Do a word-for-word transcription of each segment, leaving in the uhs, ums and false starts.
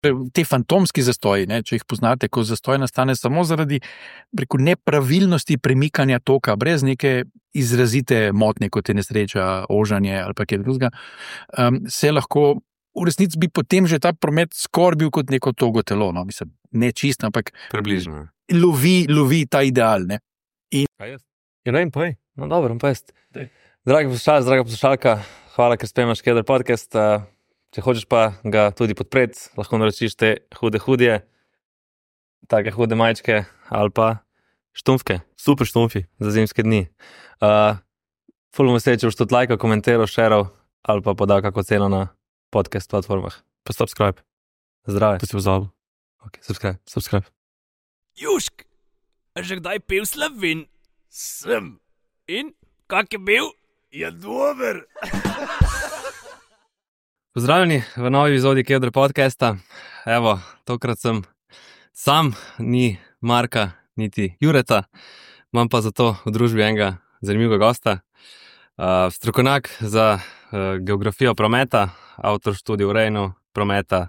te fantomski zastoji, ne, če jih poznate, ko zastoj nastane samo zaradi preko nepravilnosti premikanja toka, brez neke izrazite motnje, kot je nesreča, ožanje ali pa kaj drugega, um, se lahko v resnici bi potem že ta promet skoraj bil kot neko togo telo, no, mislim, ne čisto, ampak približno. Lovi, lovi ta ideal, ne. In... Kaj jaz? Ja, ne, poj. No, dobro, pa jaz. Dragi poslušalci, draga poslušalka, hvala, ker spremljaš Keder podcast. Uh, če hočeš pa ga tudi podpreti, lahko naročiš te hude hudje, take hude majčke ali pa štumfke, super štumfi za zimske dni. Uh, ful bom vesel, če boš tudi lajkal, komentiral, šeral ali pa podal kako ceno na podcast platformah. Pa subscribe. Zdrave. To si pozabil. Ok, subscribe, subscribe. Jušk, a že kdaj pil Slovin? Sem. In, kak je bil? Je dober. Pozdravljeni v novi epizodi Keder podcasta. Evo, tokrat sem sam, ni Marka, niti Jureta, imam pa zato v družbi enega zanimivega gosta, uh, strokovnjak za uh, geografijo prometa, avtor študij o urejanju prometa,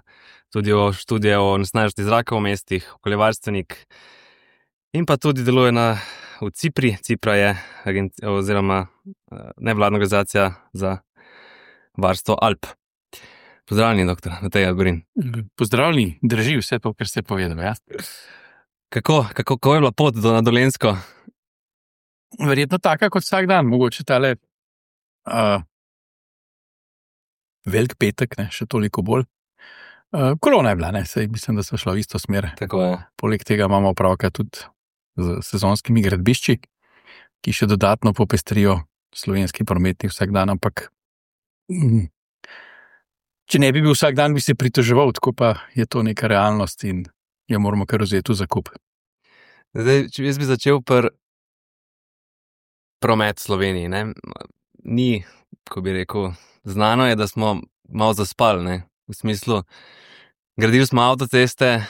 tudi o študije o onesnaženosti zraka v mestih, okoljevarstvenik in pa tudi deluje na, v Cipri. Cipra je agenci, oziroma uh, nevladna organizacija za varstvo Alp. Pozdravljeni, doktor Matej Algorin. Pozdravljeni, drži vse to, kar ste povedali. Ja? Kako, kako, kako je bila pot do na Dolenjsko? Verjetno taka kot vsak dan, mogoče tale uh, velik petek, ne, še toliko bolj. Uh, kolona je bila, ne, sej mislim, da smo šla v isto smer. Tako je. Poleg tega imamo opravka tudi z sezonskimi gradbišči, ki še dodatno popestrijo slovenski prometni vsak dan, ampak mm, če ne bi bil vsak dan, bi se pritoževal, tako pa je to neka realnost in jo moramo kar vzeti v zakup. Zdaj, če jaz bi začel pri promet v Sloveniji, ne? Ni, ko bi rekel, znano je, da smo malo zaspali, ne? V smislu, gradili smo avtoceste,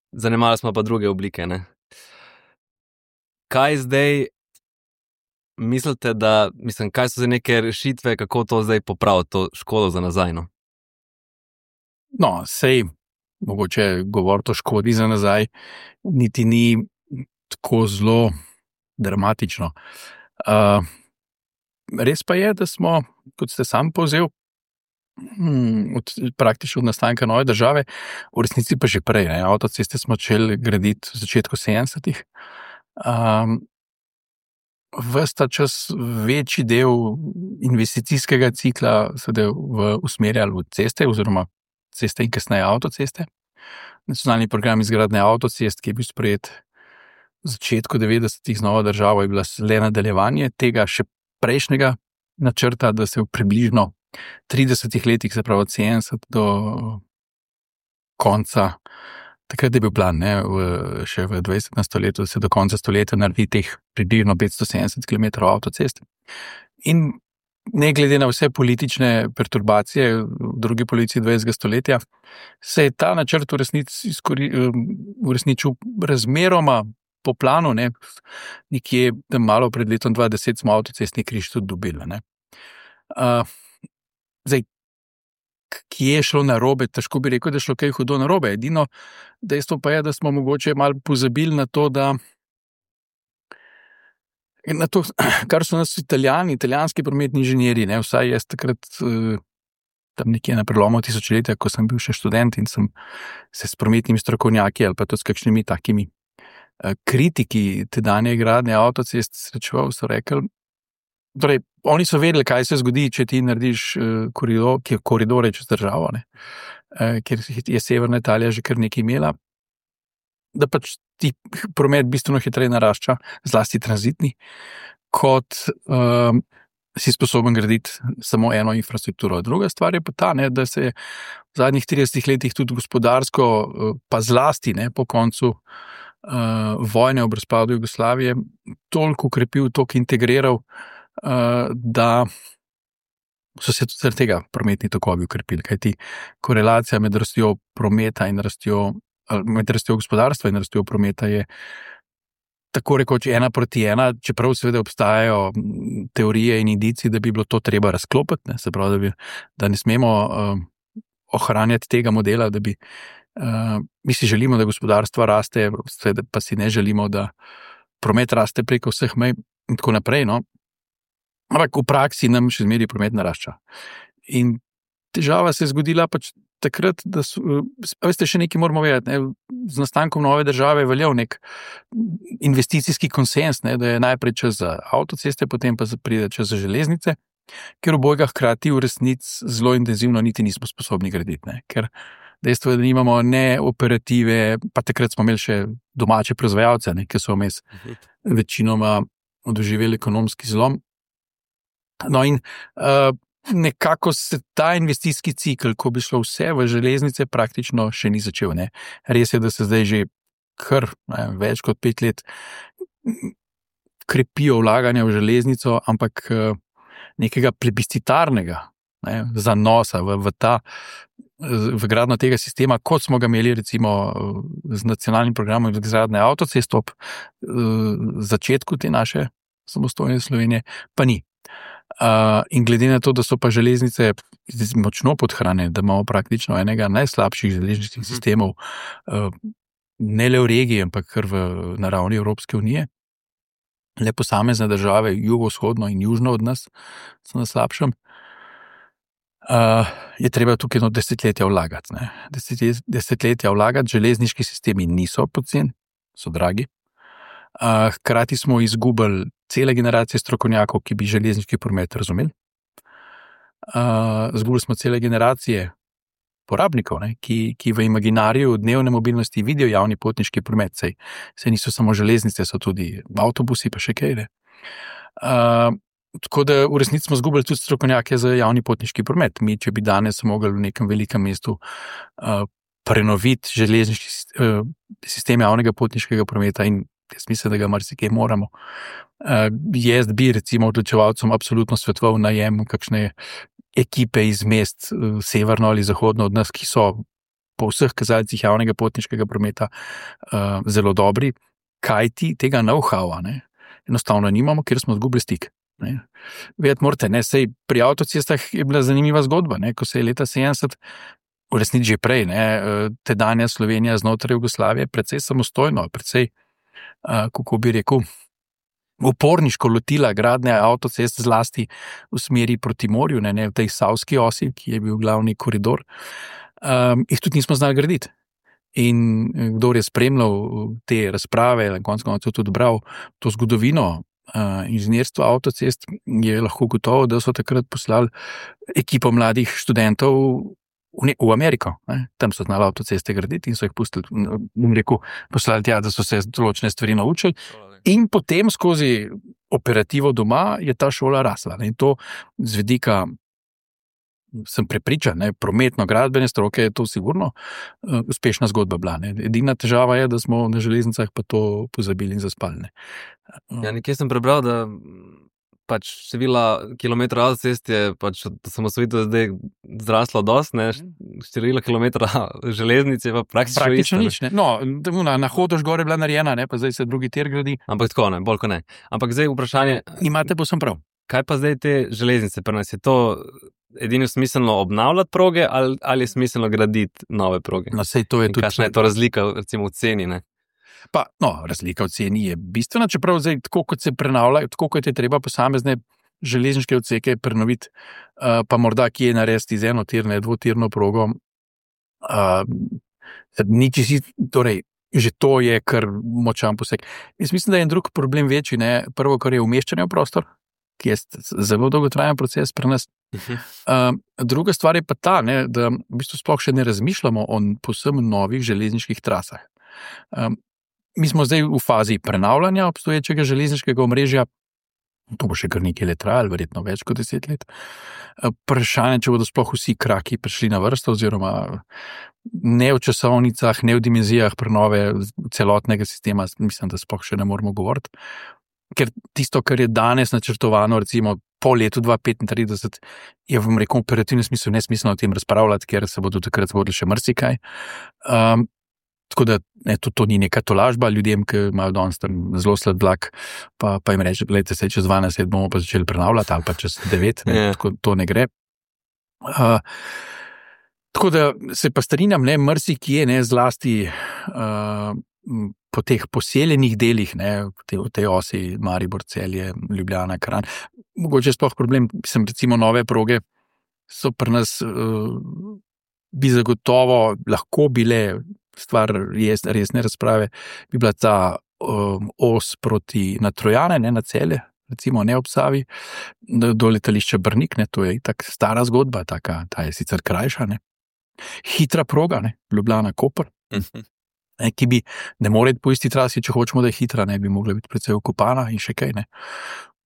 zanemali smo pa druge oblike, ne? Kaj zdaj mislite, da, mislim, kaj so zdaj neke rešitve, kako to zdaj popraviti, to škodo za nazaj, no? No, sej, mogoče govoriti o škodi za nazaj, niti ni tako zelo dramatično. Uh, res pa je, da smo, kot ste sam povzel, hm, od, praktično od nastanka nove države, v resnici pa že prej, ne, avtoceste smo začeli graditi v začetku sedemdesetih. Um, ves ta čas večji del investicijskega cikla sedaj v usmerjali v ceste oziroma ceste in kasneje avtoceste. Nacionalni program izgradnje avtocest, ki je bil sprejet v začetku devetdesetih z novo državo, je bila le nadaljevanje tega še prejšnjega načrta, da se v približno tridesetih letih, se pravi od sedemdeset do konca, takrat je bil plan, ne, v, še v dvajsetem stoletju, da se do konca stoletja naredi teh približno petsto sedemdeset kilometrov avtocest. In ne glede na vse politične perturbacije v drugi polovici dvajsetega stoletja, se je ta načrt v resnici uresničil razmeroma po planu, ne, nekje malo pred letom dva tisoč deset smo avtocestni križ tudi dobili, ne. Uh, zdaj, kje je šlo narobe, težko bi rekel, da je šlo kaj hudo narobe. Edino dejstvo pa je, da smo mogoče malo pozabili na to, da na to, kar so nas Italijani, italijanski prometni inženirji, ne, vsaj jaz takrat tam nekje na prelomu tisočletja, ko sem bil še študent in sem se s prometnimi strokovnjaki ali pa tudi s kakšnimi takimi kritiki tedanje gradnje avtocest srečeval, so rekli, torej, oni so vedeli, kaj se zgodi, če ti narediš koridor, ki je koridore čez državo, ne, ker je severna Italija že kar nekaj imela, da pač ti promet bistveno hitreje narašča, zlasti tranzitni, kot um, si sposoben graditi samo eno infrastrukturo. Druga stvar je pa ta, ne, da se je v zadnjih tridesetih letih tudi gospodarsko, pa zlasti ne, po koncu uh, vojne ob razpadu Jugoslavije, toliko ukrepil, toliko integriral, uh, da so se tudi zaradi tega prometni tokovi ukrepili, kajti korelacija med rastjo prometa in rastjo med rastjo gospodarstva in rastjo prometa je tako rekoč ena proti ena, čeprav seveda obstajajo teorije in indici, da bi bilo to treba razklopiti, ne, se pravi, da, bi, da ne smemo uh, ohranjati tega modela, da bi Uh, mi si želimo, da gospodarstvo raste, pa si ne želimo, da promet raste preko vseh mej in tako naprej. No? Ampak v praksi nam še zmeraj promet narašča. In težava se je zgodila pač takrat, da so, veste, še nekaj moramo vedeti, ne? Z nastankom nove države je veljal nek investicijski konsens, ne? Da je najprej čez avtoceste, potem pa pride čez železnice, ker obojga hkrati v resnici zelo intenzivno niti nismo sposobni graditi. Ne? Ker dejstvo je, da nimamo ne operative, pa takrat smo imeli še domače proizvajalce, ne? Ki so vmes večinoma doživeli ekonomski zlom. No in uh, nekako se ta investicijski cikl, ko bi šlo vse v železnice, praktično še ni začel. Ne? Res je, da se zdaj že kar ne, več kot pet let krepijo vlaganja v železnico, ampak uh, nekega plebiscitarnega ne, zanosa v, v, ta, v gradno tega sistema, kot smo ga imeli recimo z nacionalnim programom izgradnje avtocest ob uh, začetku te naše samostojne Slovenije, pa ni. Uh, in glede na to, da so pa železnice močno podhranjene, da imamo praktično enega najslabših železniških sistemov, uh, ne le v regiji, ampak kar v naravni Evropske unije, le posamezne države, jugovzhodno in južno od nas, so na slabšem, uh, je treba tukaj eno desetletja vlagati. Ne? Desetletja, desetletja vlagati, železniški sistemi niso poceni, so dragi. Uh, hkrati smo izgubili cele generacije strokovnjakov, ki bi železniški promet razumeli. Uh, izgubili smo cele generacije porabnikov, ne, ki, ki v imaginariju dnevne mobilnosti vidijo javni potniški promet. Sej, sej niso samo železnice, so tudi avtobusi, pa še kaj. Uh, tako da v resnici smo izgubili tudi strokovnjake za javni potniški promet. Mi, če bi danes mogli v nekem velikem mestu uh, prenoviti železniški uh, sistem javnega potniškega prometa in jaz mislim, da ga marsikaj moramo. Uh, jaz bi recimo odločevalcem absolutno svetoval najem kakšne ekipe iz mest uh, severno ali zahodno od nas, ki so po vseh kazalcih javnega potniškega prometa uh, zelo dobri, kajti tega know-howa ne, enostavno nimamo, ker smo izgubili stik. Vedeti morate, ne, sej pri avtocestah je bila zanimiva zgodba, ne, ko se je leta sedemdeset, v resnici že prej, ne, tedanja Slovenija znotraj Jugoslavije precej samostojno, precej Uh, kako bi rekel, uporniško lotila gradnje avtocest zlasti v smeri proti morju, ne, ne v tej savski osi, ki je bil glavni koridor, um, jih tudi nismo znali graditi. In kdo je spremljal te razprave, na koncu koncev tudi bral to zgodovino uh, inženirstva avtocest, je lahko gotovo, da so takrat poslali ekipo mladih študentov V, ne, v Ameriko, ne? Tam so znali avtoceste graditi in so jih pustili, bom rekel, poslali tja, da so se določene stvari naučili. In potem skozi operativo doma je ta šola rasla. Ne? In to z vidika, sem prepričan, ne? Prometno-gradbene stroke je to sigurno uh, uspešna zgodba bila. Ne? Edina težava je, da smo na železnicah pa to pozabili in zaspali. Ne? Uh. Ja, nekje sem prebral, da pač števila kilometrov avtocest je pač od osamosvojitve zdaj zraslo dosti, ne, števila kilometra železnice pa praktično, praktično nič. Ne. No, na, na Hodoš gor je bila narejena, ne, pa zdaj se drugi tir gradi. Ampak tako ne, bolj kot ne. Ampak zdaj vprašanje... Imate posem prav. Kaj pa zdaj te železnice pri nas? Je to edino smiselno obnavljati proge ali, ali je smiselno graditi nove proge? No, sej to je tudi... Kakšna je to razlika recimo v ceni, ne? Pa, no, razlika v ceni je bistvena, čeprav zdaj, tako kot se prenavlja, tako kot je treba posamezne železniške odseke prenoviti, uh, pa morda kje narediti z enotirne, dvotirno progo. Uh, niči si, torej, že to je kar močan poseg. Jaz mislim, da je en drug problem večji, ne, prvo, kar je umeščanje v prostor, ki je zelo dolgotrajen proces pri nas. Uh, druga stvar je pa ta, ne, da v bistvu sploh še ne razmišljamo o povsem novih železniških trasah. Um, Mi smo zdaj v fazi prenavljanja obstoječega železniškega omrežja, to bo še kar nekaj let trajalo, verjetno več kot deset let. Vprašanje, če bodo sploh vsi kraki prišli na vrsto, oziroma ne v časovnicah, ne v dimenzijah prenove celotnega sistema, mislim, da sploh še ne moramo govoriti. Ker tisto, kar je danes načrtovano, recimo po letu dva tisoč petintrideset, je v rekel operativnem smislu nesmiselno o tem razpravljati, ker se bodo takrat zgodili še marsikaj. Um, Tako da ne, to, to ni neka tolažba ljudem, ki imajo danes tam zelo slab vlak, pa, pa jim reče, gledajte, se čez dvanajst let bomo pa začeli prenavljati, ali pa čez devet, ne, yeah. Tako to ne gre. Uh, Tako da se pa strinjam, ne, marsikje, ne, zlasti uh, po teh poseljenih delih, ne, v tej osi Maribor, Celje, Ljubljana, Kranj. Mogoče sploh problem, mislim, recimo nove proge so pri nas, uh, bi zagotovo lahko bile stvar res, resne razprave, bi bila ta um, os proti na Trojane, ne, na Celje, recimo ne ob Savi, do letališča Brnik, ne, to je itak stara zgodba, taka, ta je sicer krajša, ne. Hitra proga, ne, Ljubljana, Koper, ne, ki bi ne more po isti trasi, če hočemo, da je hitra, ne, bi mogla biti precej okupana in še kaj, ne.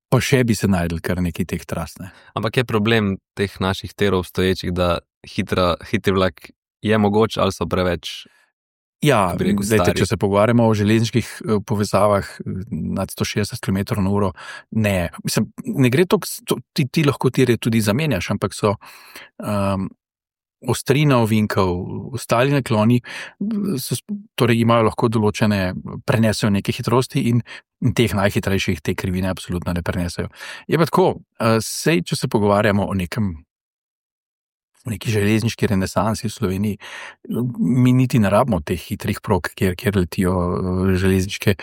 Pa še bi se najdel kar nekaj teh tras, ne. Ampak je problem teh naših tirov stoječih, da hitra, hitri vlak je mogoč ali so preveč? Ja, zdajte, če se pogovarjamo o železniških povezavah nad sto šestdeset kilometrov na uro, ne, mislim, ne gre to, ti, ti lahko tire tudi zamenjaš, ampak so um, ostrina ovinkov, ostali nakloni, so, torej imajo lahko določene, prenesejo neke hitrosti in, in teh najhitrejših te krivine absolutno ne prenesejo. Je pa tako, sej, če se pogovarjamo o nekem v neki železniški renesansi v Sloveniji, mi niti ne rabimo teh hitrih prog, kjer, kjer letijo železniške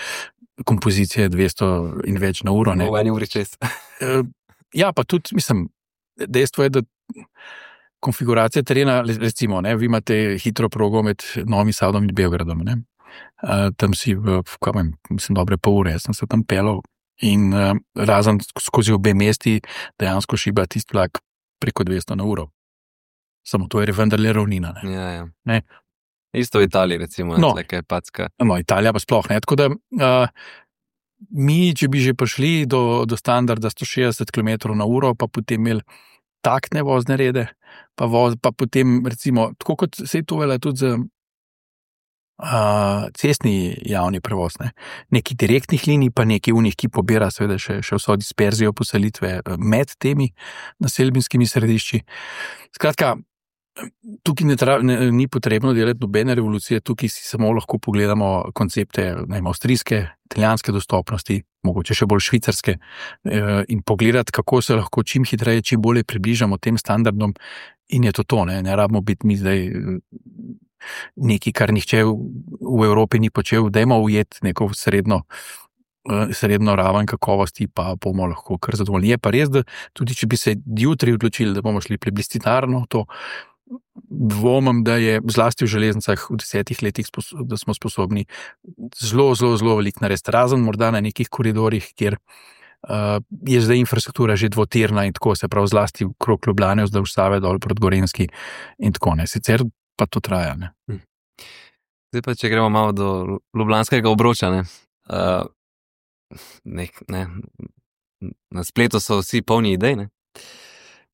kompozicije dvesto in več na uro. Ne. V eni uri čez. Ja, pa tudi, mislim, dejstvo je, da konfiguracija terena, recimo, ne, vi imate hitro progo med Novim Sadom in Beogradom, ne. Uh, tam si v, v kamen, mislim, dobre pol ure, sem se tam pelal in uh, razen skozi obe mesti dejansko šiba tisti vlak preko dvesto na uro. Samo to je vendarle ravnina, ne. Ja, ja. Ne. Isto v Italiji, recimo, no, tleka je packa. No, Italija pa sploh, ne, tako da uh, mi, če bi že prišli do, do standarda sto šestdeset kilometrov na uro, pa potem imeli taktne vozne rede, pa, voz, pa potem recimo, tako kot se je to velja tudi za uh, cestni javni prevoz, ne? Neki direktnih linij, pa neki unih, ki pobira seveda še, še vso disperzijo poselitve med temi naselbinskimi središči. Skratka, tukaj ne tra, ne, ni potrebno delati nobene revolucije, tukaj si samo lahko pogledamo koncepte, ne vem, avstrijske, italijanske dostopnosti, mogoče še bolj švicarske, eh, in pogledati, kako se lahko čim hitreje, čim bolje približamo tem standardom in je to to, ne, ne rabimo biti mi zdaj neki, kar nihče v, v Evropi ni počel, dajmo ujeti neko srednjo, eh, srednjo raven kakovosti, pa bomo lahko kar zadovoljni. Je pa res, da tudi če bi se jutri odločili, da bomo šli plebiscitarno, to dvomim, da je zlasti v železnicah v desetih letih, da smo sposobni zelo, zelo, zelo veliko narediti, razen morda na nekih koridorjih, kjer uh, je zdaj infrastruktura že dvotirna in tako, se pravi zlasti v krog Ljubljane, vzdolž Save, dol proti Gorenjski in tako, ne. Sicer pa to traja, ne. Zdaj pa, če gremo malo do ljubljanskega obroča, ne. Uh, nek, ne. Na spletu so vsi polni idej, ne.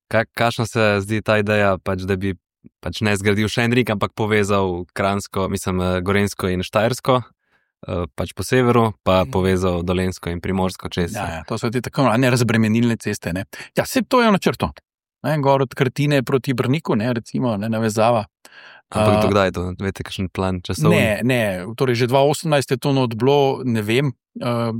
Kakšna se zdi ta ideja, pač, da bi pač ne zgradil še en rik, ampak povezal Kranjsko, mislim, Gorenjsko in Štajersko, pač po severu, pa povezal Dolenjsko in Primorsko čez. Ja, ja, to so ti tako nerazbremenilne ceste, ne. Ja, vse to je načrto. Ne, gor od Krtine proti Brniku, ne, recimo, ne, navezava. Ampak to kdaj je to? Vete, kakšen plan časovni? Ne, ne, torej že dva osemnajst je to not bilo, ne vem. Uh,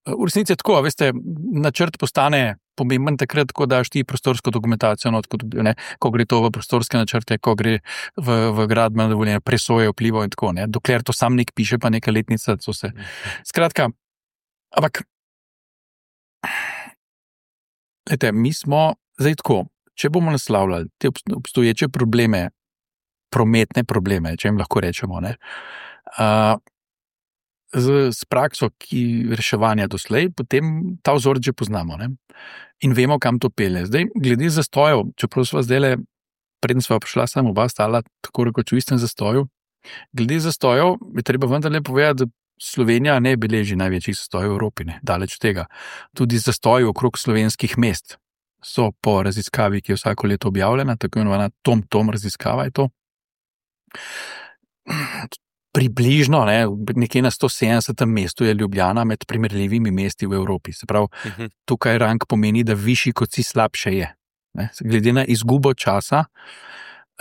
v resnici je tako, veste, načrt postane pomemben takrat, ko daš ti prostorsko dokumentacijo, no, tako, ne, ko gre to v prostorske načrte, ko gre v, v gradbeno dovoljenje, presoje vplivov in tako, ne, dokler to sam nek piše, pa neka letnica, to se. Skratka, ampak, lejte, mi smo zdaj tako, če bomo naslavljali te obstoječe probleme, prometne probleme, če jim lahko rečemo, ne, uh, z, z prakso, ki reševanja doslej, potem ta vzor že poznamo, ne, in vemo, kam to pelje. Zdaj, glede zastojev, čeprav sva zdajle, preden sva prišla, samo oba stala tako rekoč v istem zastoju, glede zastojev je treba vendarle povedati, da Slovenija ne beleži največjih zastojev v Evropi, ne, daleč od tega. Tudi zastoji okrog slovenskih mest so po raziskavi, ki je vsako leto objavljena, tako imenovana Tom-Tom raziskava je to. Približno, ne, nekje na sto sedemdesetem mestu je Ljubljana med primerljivimi mesti v Evropi. Se pravi, uh-huh. Tukaj rang pomeni, da višji kot si slabše je. Ne, glede na izgubo časa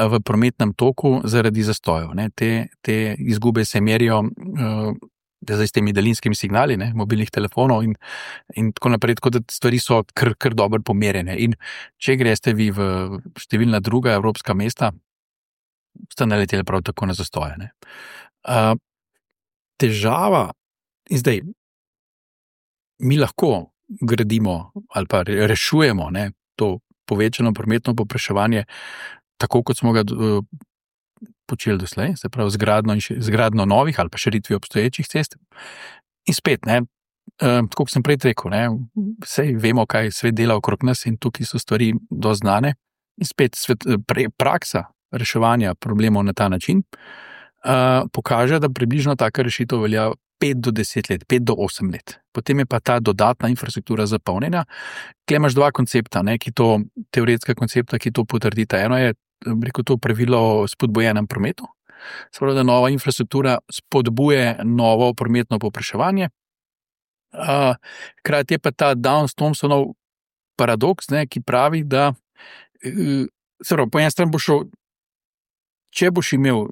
v prometnem toku zaradi zastojev. Ne, te, te izgube se merijo uh, zdaj s temi daljinskimi signali, ne, mobilnih telefonov in, in tako naprej, tako da stvari so kar, kar dobro pomerjene. In če greste vi v številna druga evropska mesta, sta naleteli prav tako na zastoje. Ne. Uh, težava, in zdaj, mi lahko gradimo ali pa rešujemo, ne, to povečano prometno povpraševanje, tako kot smo ga uh, počeli doslej, se pravi zgradno novih ali pa širitvi obstoječih cest. In spet, ne, uh, tako kot sem prej rekel, ne, vsej vemo, kaj svet dela okrog nas in tukaj so stvari dosti znane. In spet svet, pre, praksa reševanja problemov na ta način uh, pokaže, da približno taka rešitev velja pet do deset let, pet do osem let. Potem je pa ta dodatna infrastruktura zapolnjena. Tukaj imaš dva koncepta, ne, ki to, teoretska koncepta, ki to potrdita. Eno je, rekel, to pravilo o spodbujenem prometu. Se pravi, da nova infrastruktura spodbuje novo prometno povpraševanje. Uh, Hkrati je pa ta Downs-Thompsonov paradoks, ne, ki pravi, da uh, se pravi, po eni strani boš šel, če boš imel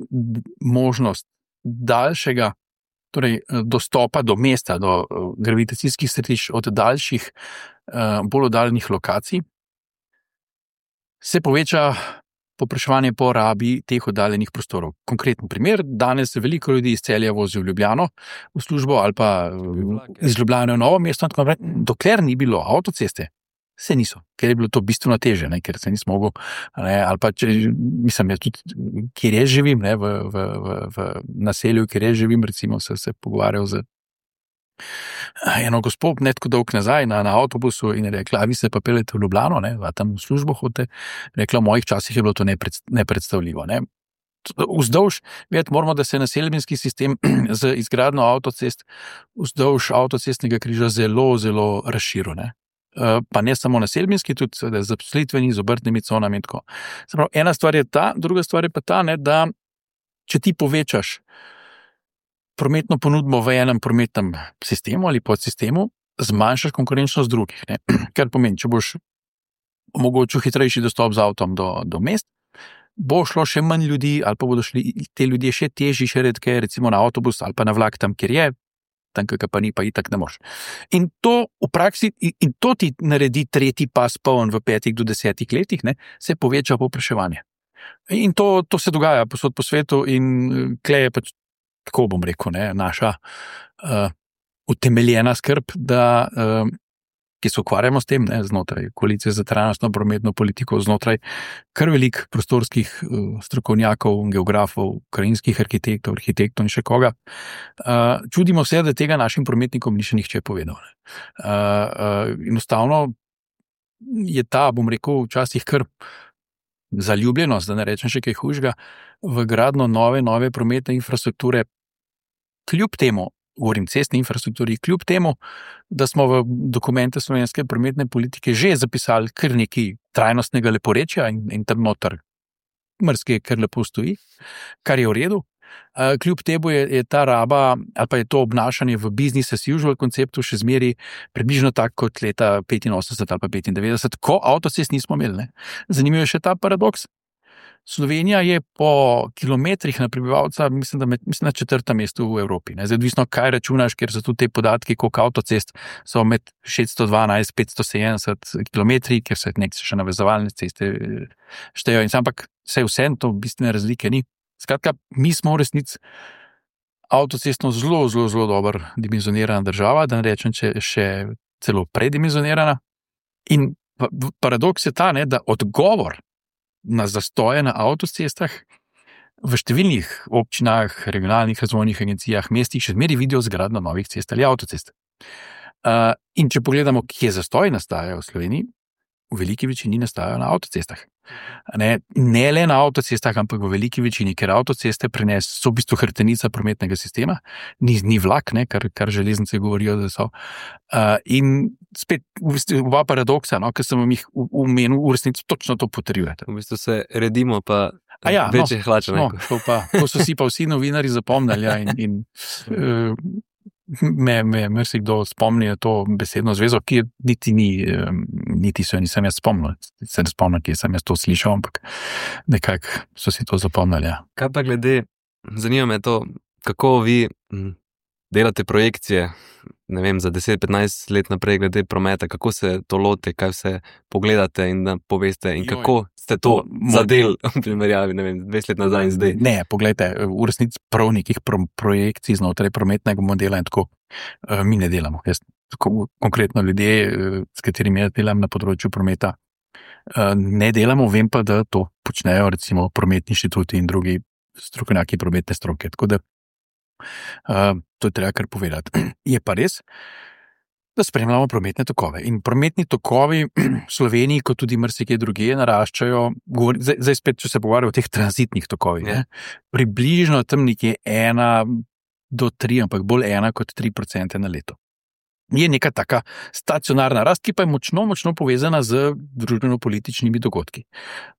možnost daljšega, torej dostopa do mesta, do gravitacijskih središč od daljših, bolj oddaljenih lokacij, se poveča povpraševanje po rabi teh oddaljenih prostorov. Konkreten primer, danes veliko ljudi iz Celja vozi v Ljubljano v službo ali pa iz Ljubljane v Novo mesto, tako naprej, dokler ni bilo avtoceste, se niso, ker je bilo to bistveno teže, ne, ker se nismo mogli, ne, ali pa če, mislim, jaz tudi, kjer jaz živim, ne, v, v, v, v naselju, kjer jaz živim, recimo, se, se pogovarjal z eno gospod, ne tako dolg nazaj na, na avtobusu in je rekla, a vi se pa peljete v Ljubljano, ne, a tam v službo hodite, rekla, v mojih časih je bilo to nepred, nepredstavljivo, ne. Vzdolž, vedeti moramo, da se naselbinski sistem z izgradnjo avtocest vzdolž avtocestnega križa zelo, zelo razširil, ne. Pa ne samo naselbinski, tudi zaposlitveni, z obrtnimi conami in tako. Pravi, ena stvar je ta, druga stvar je pa ta, ne, da če ti povečaš prometno ponudbo v enem prometnem sistemu ali podsistemu, zmanjšaš konkurenčnost drugih. Ne. Kar pomeni, če boš omogočil hitrejši dostop z avtom do, do mest, bo šlo še manj ljudi ali pa bodo šli te ljudje še težji, še redke, recimo na avtobus ali pa na vlak tam, kjer je, tam, kakor pa ni, pa itak ne moš. In to v praksi, in to ti naredi tretji pas poln v petih do desetih letih, ne, se poveča povpraševanje. In to, to se dogaja posod po svetu in tle je pač, tako bom rekel, ne, naša uh, utemeljena skrb, da, uh, ki se ukvarjamo s tem, ne, znotraj koalicije za trajnostno prometno politiko, znotraj kar velik prostorskih uh, strokovnjakov, geografov, krajinskih arhitektov, arhitektov in še koga. Uh, čudimo se, da tega našim prometnikom ni še nihče povedal. Ne. Uh, uh, enostavno je ta, bom rekel, včasih kar zaljubljenost, da ne rečem še kaj hujšega, v gradno nove, nove prometne infrastrukture, kljub temu, govorim cestni infrastrukturi, kljub temu, da smo v dokumente slovenske prometne politike že zapisali kar nekaj trajnostnega leporečja in, in tam noter mrske, kar lepo stoji, kar je v redu. Kljub temu je, je ta raba ali pa je to obnašanje v business as usual konceptu še zmeri približno tako kot leta petinosemdeset ali pa petindevetdeset, ko avtocest nismo imeli. Ne. Zanimivo je še ta paradoks. Slovenija je po kilometrih na prebivalca, mislim, da med, mislim, na četrtem mestu v Evropi. Ne. Zdaj, odvisno, kaj računaš, ker so tudi te podatki, koliko avtocest so med šeststo dvanajst, petsto sedemdeset kilometri, ker se nek še navezovalne ceste štejo. In sam, ampak vse vse, to bistvene razlike ni. Skratka, mi smo v resnici avtocestno zelo, zelo, zelo dobro dimenzionirana država, da ne rečem, če še celo predimenzionirana. In paradoks je ta, ne, da odgovor na zastoje na avtocestah v številnih občinah, regionalnih razvojnih agencijah, mestih še zmeri vidijo zgradnjo novih cest ali avtocest. Uh, in če pogledamo, kje zastoji nastajajo v Sloveniji, v veliki večini nastajajo na avtocestah. Ne, ne le na avtocestah, ampak v veliki večini, ker avtoceste prenes, so v bistvu hrbtenica prometnega sistema, ni, ni vlak, ne, kar, kar železnice govorijo, da so. Uh, in spet v bistvu oba paradoksa, no, ker sem vam jih omenil, v resnici točno to potrjujete. V bistvu se redimo pa ja, večje no, hlače. No, to, pa, to so si pa vsi novinari zapomnili, ja, in, in uh, me, me marsikdo spomni na to besedno zvezo, ki niti ni, niti so nisem jaz spomnil, se ne spomnim, kje sem jaz to slišal, ampak nekako so si to zapomnili. Ja. Kaj pa glede, zanima me to, kako vi delate projekcije, ne vem, za deset petnajst let naprej glede prometa, kako se to lote, kaj vse pogledate in da poveste in Joj. kako ste to zadeli v primerjavi, ne vem, dvajset let nazaj in zdaj. Ne, poglejte, v resnici prav nekih pro, projekcij znotraj prometnega modela in tako uh, mi ne delamo. Jaz, tako, konkretno ljudje, uh, s katerimi jaz delam na področju prometa, uh, ne delamo, vem pa, da to počnejo recimo prometni inštituti in drugi strokovnjaki prometne stroke. Tako da uh, to je treba kar povedati. Je pa res, da spremljamo prometne tokove. In prometni tokovi v Sloveniji, kot tudi marsikje drugje, naraščajo, govori, zdaj, zdaj spet, če se pogovarjajo o teh tranzitnih tokovih, Ja. ne, približno tam nekje ena do tri, ampak bolj ena kot tri procente na leto. Je neka taka stacionarna rast, ki pa je močno, močno povezana z družbeno-političnimi dogodki.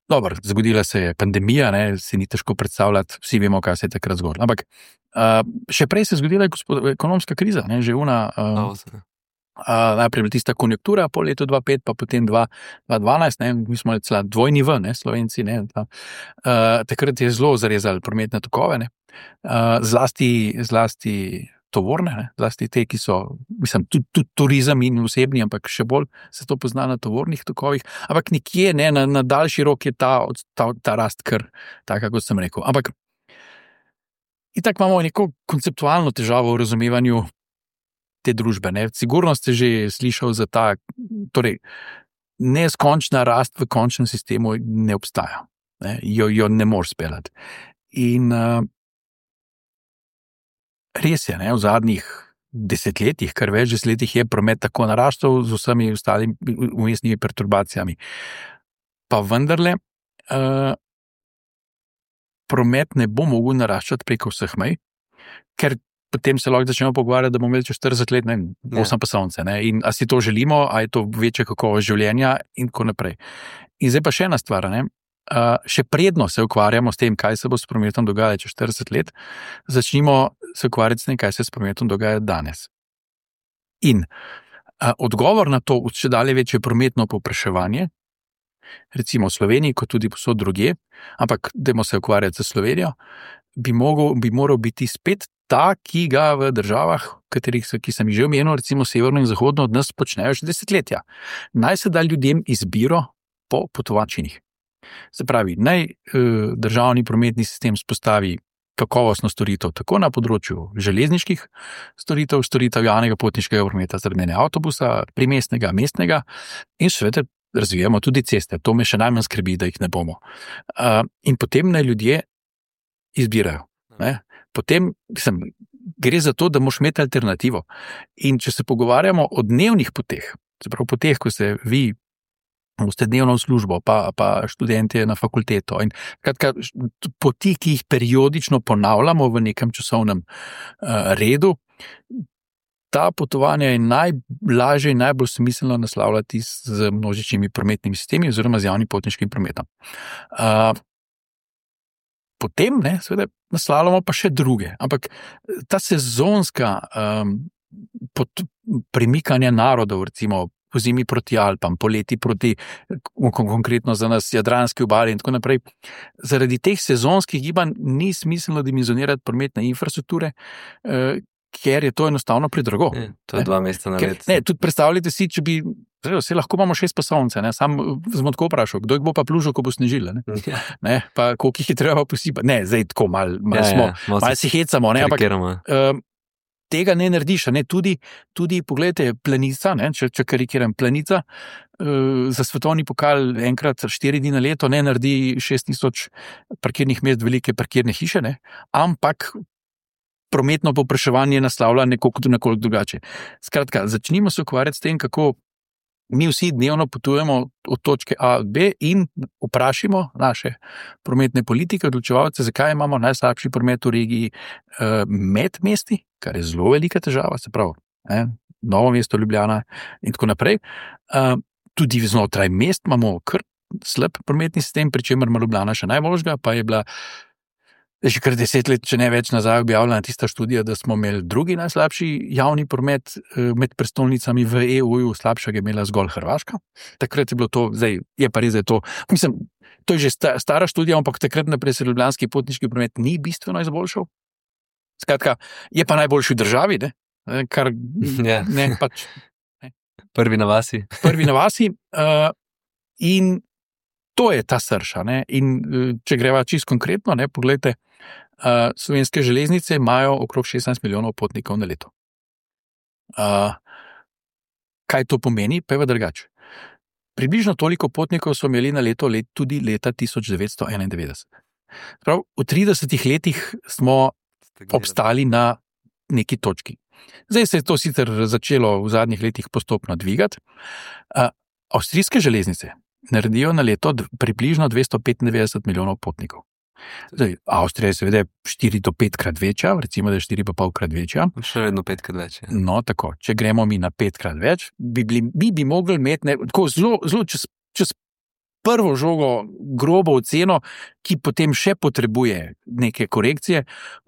Dobro, zgodila se je pandemija, ne, si ni težko predstavljati, vsi vemo, kaj se je takrat zgodilo. Ampak uh, še prej se je zgodila gospod, ekonomska kriza, ne, že una. Uh, Uh, najprej bila tista konjunktura po letu dva tisoč pet, pa potem dva tisoč dvanajst, ne, mi smo cela dvojni v, ne, Slovenci, ne, ta, uh, takrat je zelo zarezali prometne tokove, ne, uh, zlasti, zlasti tovorne, ne, zlasti te, ki so, mislim, tudi, tudi turizem in osebni, ampak še bolj se to pozna na tovornih tokovih, ampak nekje, ne, na, na daljši rok je ta, ta, ta rast kar, tako kot sem rekel. Ampak itak imamo neko konceptualno težavo v razumevanju te družbe. Ne. Sigurno ste že slišali za ta, torej, neskončna rast v končnem sistemu ne obstaja. Ne. Jo, jo ne moreš speljati. In uh, res je, ne, v zadnjih desetletjih, kar več desetletjih je promet tako naraščal z vsemi ostalimi vmesnimi perturbacijami. Pa vendarle, uh, promet ne bo mogel naraščati preko vseh mej, ker potem se lahko začnemo pogovarjati, da bomo imeli čez štirideset let, ne, osem pasovnice, ne, in a si to želimo, a je to večja kakovost življenja in tako naprej. In zdaj pa še ena stvar, ne, uh, še predno se ukvarjamo s tem, kaj se bo s prometom dogajalo čez štirideset let, začnimo se ukvarjati s tem, kaj se s prometom dogaja danes. In uh, odgovor na to, če dalje večje prometno povpraševanje, recimo v Sloveniji, kot tudi posod drugje, ampak dajmo se ukvarjati z Slovenijo, bi, mogel, bi moral biti spet ta, ki ga v državah, katerih so, ki sem jih že omenil, recimo severno in zahodno od nas počnejo že desetletja. Naj se da ljudem izbiro po potovačinih. Se pravi, naj eh, državni prometni sistem spostavi kakovostno storitev tako na področju železniških storitev, storitev javnega potniškega prometa, zaradi avtobusa, primestnega, mestnega in seveda razvijamo tudi ceste. To me še najmanj skrbi, da jih ne bomo. Uh, in potem naj ljudje izbirajo. Ne? Potem mislim, gre za to, da moraš imeti alternativo. In če se pogovarjamo o dnevnih poteh, se pravi poteh, ko se vi boste dnevno v službo, pa, pa študentje na fakulteto in kratka, poti, ki jih periodično ponavljamo v nekem časovnem uh, redu, ta potovanja je najlažje in najbolj smiselno naslavljati z množičnimi prometnimi sistemi oziroma z javnim potniškim prometom. Uh, Potem, ne, seveda, naslavljamo pa še druge, ampak ta sezonska um, pot, premikanja narodov, recimo po zimi proti Alpam, poleti proti, konkretno za nas, Jadranski obali in tako naprej, zaradi teh sezonskih gibanj ni smiselno dimenzionirati prometne infrastrukture, uh, ker je to enostavno predrago. Je, to je dva meseca na let. Ne, tudi predstavljajte si, če bi, vse lahko imamo šest pasovnice, ne, sam smo tako vprašal, kdo jih bo pa plužil, ko bo snežilo, ne, Ja. ne, pa koliko jih je treba posipati, ne, zdaj tako malo mal Ja, smo, ja, malo malo si hecamo, ne, ampak karikiramo. um, tega ne narediš, ne, tudi, tudi pogledajte, Planica, ne, če, če karikiram, Planica uh, za svetovni pokal enkrat štiri dni na leto ne naredi šest tisoč parkirnih mest velike parkirne hiše, ne, ampak prometno povpraševanje naslavlja nekoliko, nekoliko drugače. Skratka, začnimo se ukvarjati s tem, kako mi vsi dnevno potujemo od točke A do B in vprašimo naše prometne politike, odločevalce, zakaj imamo najslabši promet v regiji eh, med mesti, kar je zelo velika težava, se pravi, eh, Novo mesto, Ljubljana in tako naprej. Eh, tudi znotraj mest imamo kar slab prometni sistem, pri čemer ima Ljubljana še najboljšega, pa je bila že kar deset let, če ne več nazaj, objavljena tista študija, da smo imeli drugi najslabši javni promet med prestolnicami v E U-ju, slabšega je imela zgolj Hrvaška. Takrat je bilo to, zdaj je pa res, da je to, mislim, to je že stara študija, ampak takrat naprej se ljubljanski potniški promet ni bistveno izboljšal. Skratka, je pa najboljši v državi, ne? Kar Ja. ne, pač Prvi na vasi. prvi na vasi. Uh, in to je ta srž. a ne. In uh, če greva čisto konkretno, ne, poglejte, uh, Slovenske železnice imajo okrog šestnajst milijonov potnikov na leto. Uh, kaj to pomeni, pa je pa drugače. Približno toliko potnikov so imeli na leto let, tudi leta tisoč devetsto enaindevetdeset. Prav, v tridesetih letih smo obstali na neki točki. Zdaj se je to sicer začelo v zadnjih letih postopno dvigati. Uh, Avstrijske železnice naredijo na leto d- približno dvesto petindevetdeset milijonov potnikov. Zdaj, Avstrija je seveda štiri do petkrat večja, recimo, da je štiri pa polkrat večja. Še vedno petkrat več. Ja. No, tako, če gremo mi na petkrat več, bi, bili, bi, bi mogli imeti ne, tako zelo, zelo čez, čez prvo žogo grobo oceno, ki potem še potrebuje neke korekcije,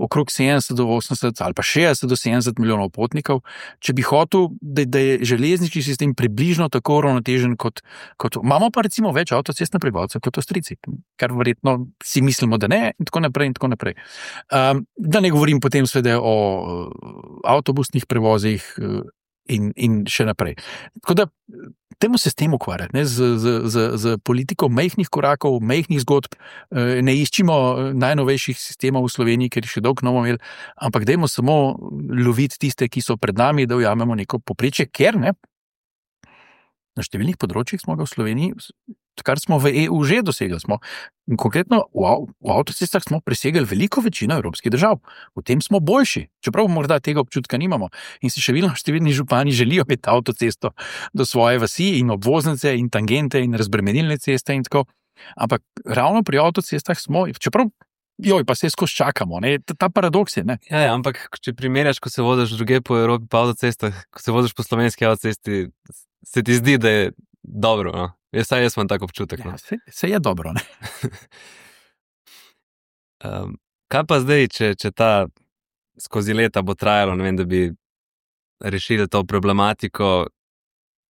okrog sedemdeset do osemdeset ali pa šestdeset do sedemdeset milijonov potnikov, če bi hotel, da, da je železniški sistem približno tako uravnotežen kot, kot. Imamo pa recimo več avtocestne prebivalcev kot Avstrijci, kar verjetno si mislimo, da ne, in tako naprej in tako naprej. Um, da ne govorim potem seveda o uh, avtobusnih prevozih uh, in, in še naprej. Tako da temu se s tem ukvarjati, ne, z, z, z, z politiko majhnih korakov, majhnih zgodb, ne iščimo najnovejših sistemov v Sloveniji, ker jih še dolgo ne bomo imeli, ampak dajmo samo loviti tiste, ki so pred nami, da ujamemo neko povprečje, ker ne, na številnih področjih smo ga v Sloveniji, kar smo v E U že dosegli. Smo, konkretno v, av, v avtocestah smo presegli veliko večino evropskih držav. V tem smo boljši, čeprav morda tega občutka nimamo. In si še vedno številni župani želijo imeti avtocesto do svoje vasi in obvoznice in tangente in razbremenilne ceste in tako. Ampak ravno pri avtocestah smo, čeprav joj, pa se skozi čakamo, ne? Ta, ta paradoks je. Ne? Ja, ja, ampak če primerjaš, ko se voziš druge po Evropi po avtocestah, ko se voziš po slovenski avtocesti, se ti zdi, da je dobro, no? Jaz, saj jaz imam tak občutek. No? Ja, se, se je dobro, ne? um, kaj pa zdaj, če, če ta skozi leta bo trajalo, ne vem, da bi rešili to problematiko,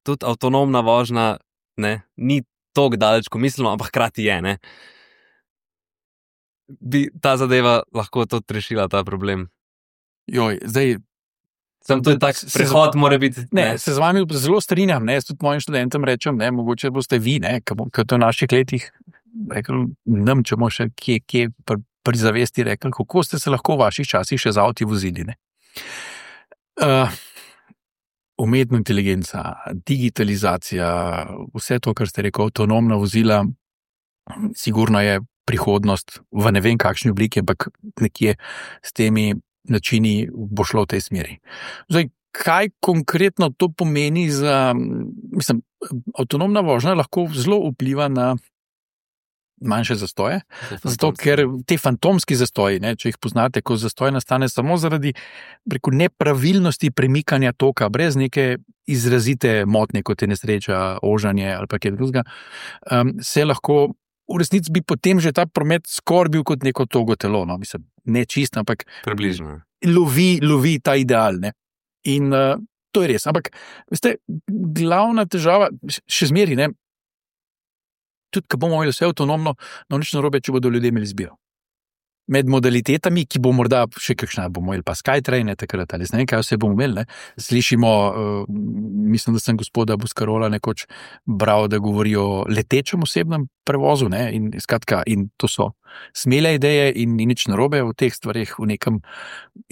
tudi avtonomna vožnja, ne, ni toliko daleč, ko mislimo, ampak hkrati je, ne? Bi ta zadeva lahko tudi rešila ta problem? Joj, zdaj... Sem to je tak prehod, mora biti. Ne, ne, se z vami zelo strinjam, ne, tudi mojim študentom rečem, ne, mogoče boste vi, ne, ki to v naših letih, rekel, nam, če bomo še kje, kje pri, pri zavesti rekli, kako ste se lahko v vaših časih še z avti vozili, ne. Uh, umetna inteligenca, digitalizacija, vse to, kar ste rekel, avtonomna vozila, sigurno je prihodnost v ne vem kakšni obliki, ampak nekje s temi načini bo šlo v tej smeri. Zdaj, kaj konkretno to pomeni za, mislim, avtonomna vožnja lahko zelo vpliva na manjše zastoje, zato ker te fantomski zastoji, ne, če jih poznate, ko zastoj nastane samo zaradi preko nepravilnosti premikanja toka, brez neke izrazite motnje, kot je nesreča, ožanje ali pa kaj drugega, um, se lahko v resnici bi potem že ta promet skoraj bil kot neko togo telo, no, mislim, ne čisto, ampak približno. Lovi, lovi ta ideal, ne. In uh, to je res. Ampak, veste, glavna težava, še zmeri, ne, tudi, ko bomo imeli vse avtonomno, no nič narobe, če bodo ljudje imeli izbiro. Med modalitetami, ki bo morda še kakšna, bomo imeli pa Skytrain, takrat ali ne vem, kaj vse bomo imeli, ne. Slišimo, uh, mislim, da sem gospoda Buscarola nekoč bral, da govori o letečem osebnem prevozu, ne, in skratka, in to so smele ideje in ni nič narobe v teh stvarih, v nekem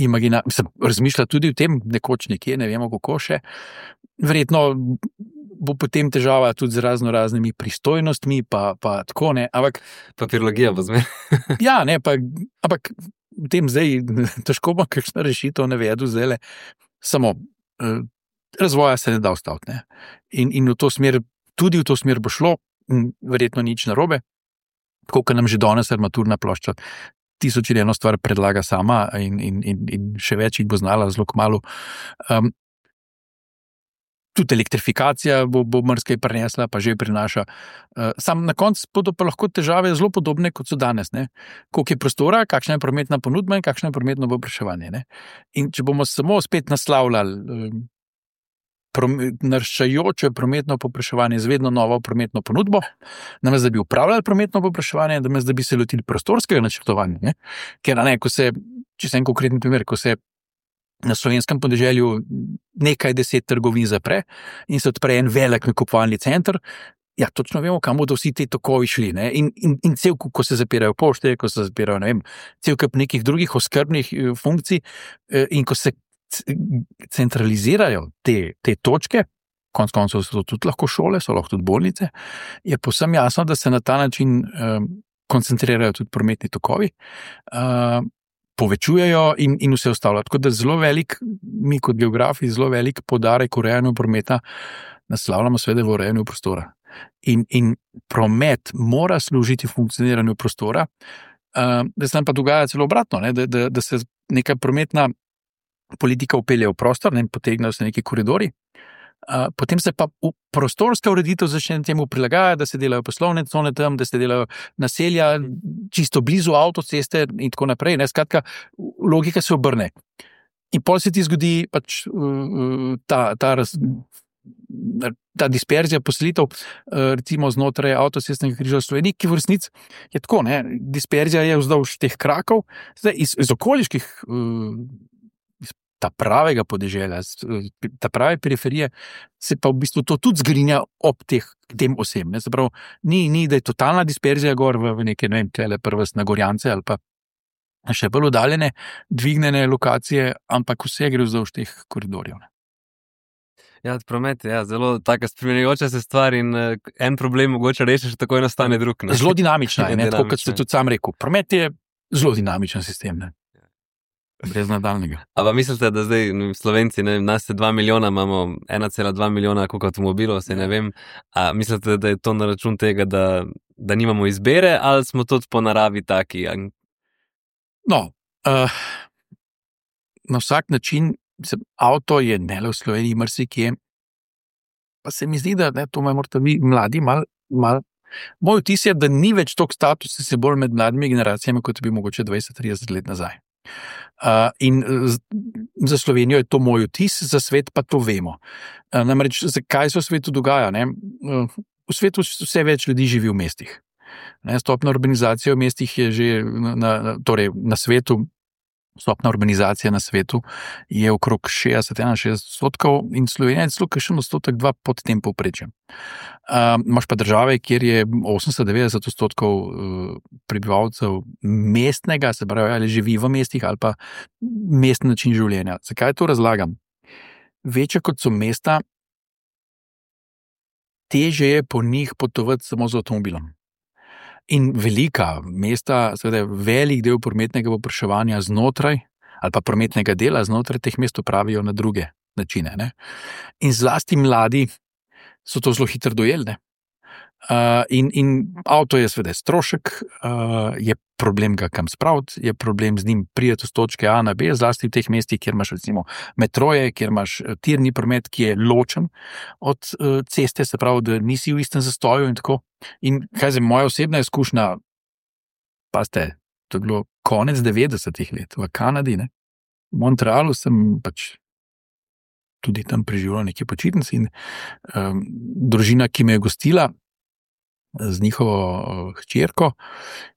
imagina, mislim, razmišlja tudi o tem, nekoč nekje, ne vemo kako še, verjetno bo potem težava tudi z razno raznimi pristojnostmi, pa, pa tako, ne, ampak... Papirologija bo zmer. Ja, ne, pa, ampak v tem zdaj težko bo kakšna rešitev navedu zdajle, samo eh, razvoja se ne da ustaviti, ne. In, in v to smer, tudi v to smer bo šlo, verjetno nič narobe, tako, ker nam že danes armaturna plošča tisoč in eno stvar predlaga sama in, in, in, in še več jih bo znala zelo kmalu. Um, Tudi elektrifikacija bo, bo marsikaj prinesla, pa že prinaša. Uh, sam na koncu bodo pa lahko težave zelo podobne, kot so danes. Ne? Koliko je prostora, kakšna je prometna ponudba in kakšno je prometno povpraševanje. In če bomo samo spet naslavljali um, naraščajoče prometno povpraševanje z vedno novo prometno ponudbo, namesto da bi upravljali prometno povpraševanje, namesto da bi se lotili prostorskega načrtovanja. Ne? Ker, ne, ko se, če se en konkreten primer, ko se na slovenskem podeželju nekaj deset trgovin zapre in se odpre en velik nakupovalni center, ja, točno vemo, kam bodo vsi te tokovi šli. Ne? In, in, in cel, ko se zapirajo pošte, ko se zapirajo, ne vem, cel kup nekih drugih oskrbnih funkcij in ko se centralizirajo te, te točke, konec koncev so tudi lahko šole, so lahko tudi bolnice, je povsem jasno, da se na ta način um, koncentrirajo tudi prometni tokovi, uh, povečujejo in, in vse ostalo. Tako da zelo velik, mi kot geografi, zelo velik poudarek urejanju prometa naslavljamo seveda v urejanju prostora. In, in promet mora služiti funkcioniranju prostora, uh, da se nam pa dogaja celo obratno, ne? Da, da, da se neka prometna politika upelje v prostor, ne, potegnejo se neki koridori, uh, potem se pa prostorska ureditev začne temu prilagajati, da se delajo poslovne cone tam, da se delajo naselja čisto blizu avtoceste in tako naprej. Ne, skratka, logika se obrne. In pol se ti zgodi pač uh, ta, ta, raz, ta disperzija poselitev, uh, recimo znotraj avtocestnega križa v Sloveniji, ki v resnici je tako, ne, disperzija je vzdolž teh krakov, zdaj iz, iz okoliških uh, ta pravega podeželja, ta prave periferije, se pa v bistvu to tudi zgrinja ob teh, tem osem. Ne? Zapravo, ni, ni, da je totalna disperzija gor v, v neke, ne vem, tele prvest na Gorjance ali pa še bolj oddaljene, dvignjene lokacije, ampak vse gre vzdolž teh koridorjev. Ne? Ja, promet je ja, zelo taka spremenjajoča se stvar in uh, en problem mogoče rešiš, takoj nastane drug. Ne? Zelo dinamična je, ne? Tako kot ste tudi sam rekel. Promet je zelo dinamičen sistem, ne? Brez nadaljnega. A pa mislite, da zdaj Slovenci, ne, nas je dva milijona, imamo ena cela dva milijona koliko avtomobilov, se ne vem, a mislite, da je to na račun tega, da, da nimamo izbere, ali smo tudi po naravi taki? No, uh, na vsak način, mislim, avto je ne le v Sloveniji, marsikje, pa se mi zdi, da ne, to morate vi mladi mal, mal. Moj vtis je, da ni več toliko statusa se bolj med mladimi generacijami, kot bi mogoče dvajset trideset let nazaj. Uh, in za Slovenijo je to moj vtis, za svet pa to vemo. Uh, namreč, kaj se v svetu dogaja? Ne? Uh, v svetu vse več ljudi živi v mestih. Ne? Stopna urbanizacija v mestih je že na, na, torej na svetu, stopna urbanizacija na svetu je okrog šestdeset do šestdeset odstotkov in Slovenija je celo kakšen odstotek dva pod tem povprečjem. Uh, imaš pa države, kjer je osemdeset do devetdeset odstotkov uh, prebivalcev mestnega, se pravi, ali živi v mestih ali pa mestni način življenja. Zakaj to razlagam? Večje kot so mesta, težje je po njih potovati samo z avtomobilom. In velika mesta, seveda velik del prometnega povpraševanja znotraj ali pa prometnega dela znotraj teh mest pravijo na druge načine. Ne? In zlasti mladi so to zelo hitro dojeli. Uh, in, in avto je seveda strošek, uh, je problem ga kam spraviti, je problem z njim priti z točke A na B, zlasti v teh mestih, kjer imaš recimo metroje, kjer imaš tirni promet, ki je ločen od uh, ceste, se pravi, da nisi v istem zastoju in tako. In kaj je moja osebna izkušnja, pa ste, to je bilo konec devetdesetih let v Kanadi, ne? V Montrealu sem pač tudi tam preživel nekaj počitnic in um, družina, ki me je gostila z njihovo hčerko,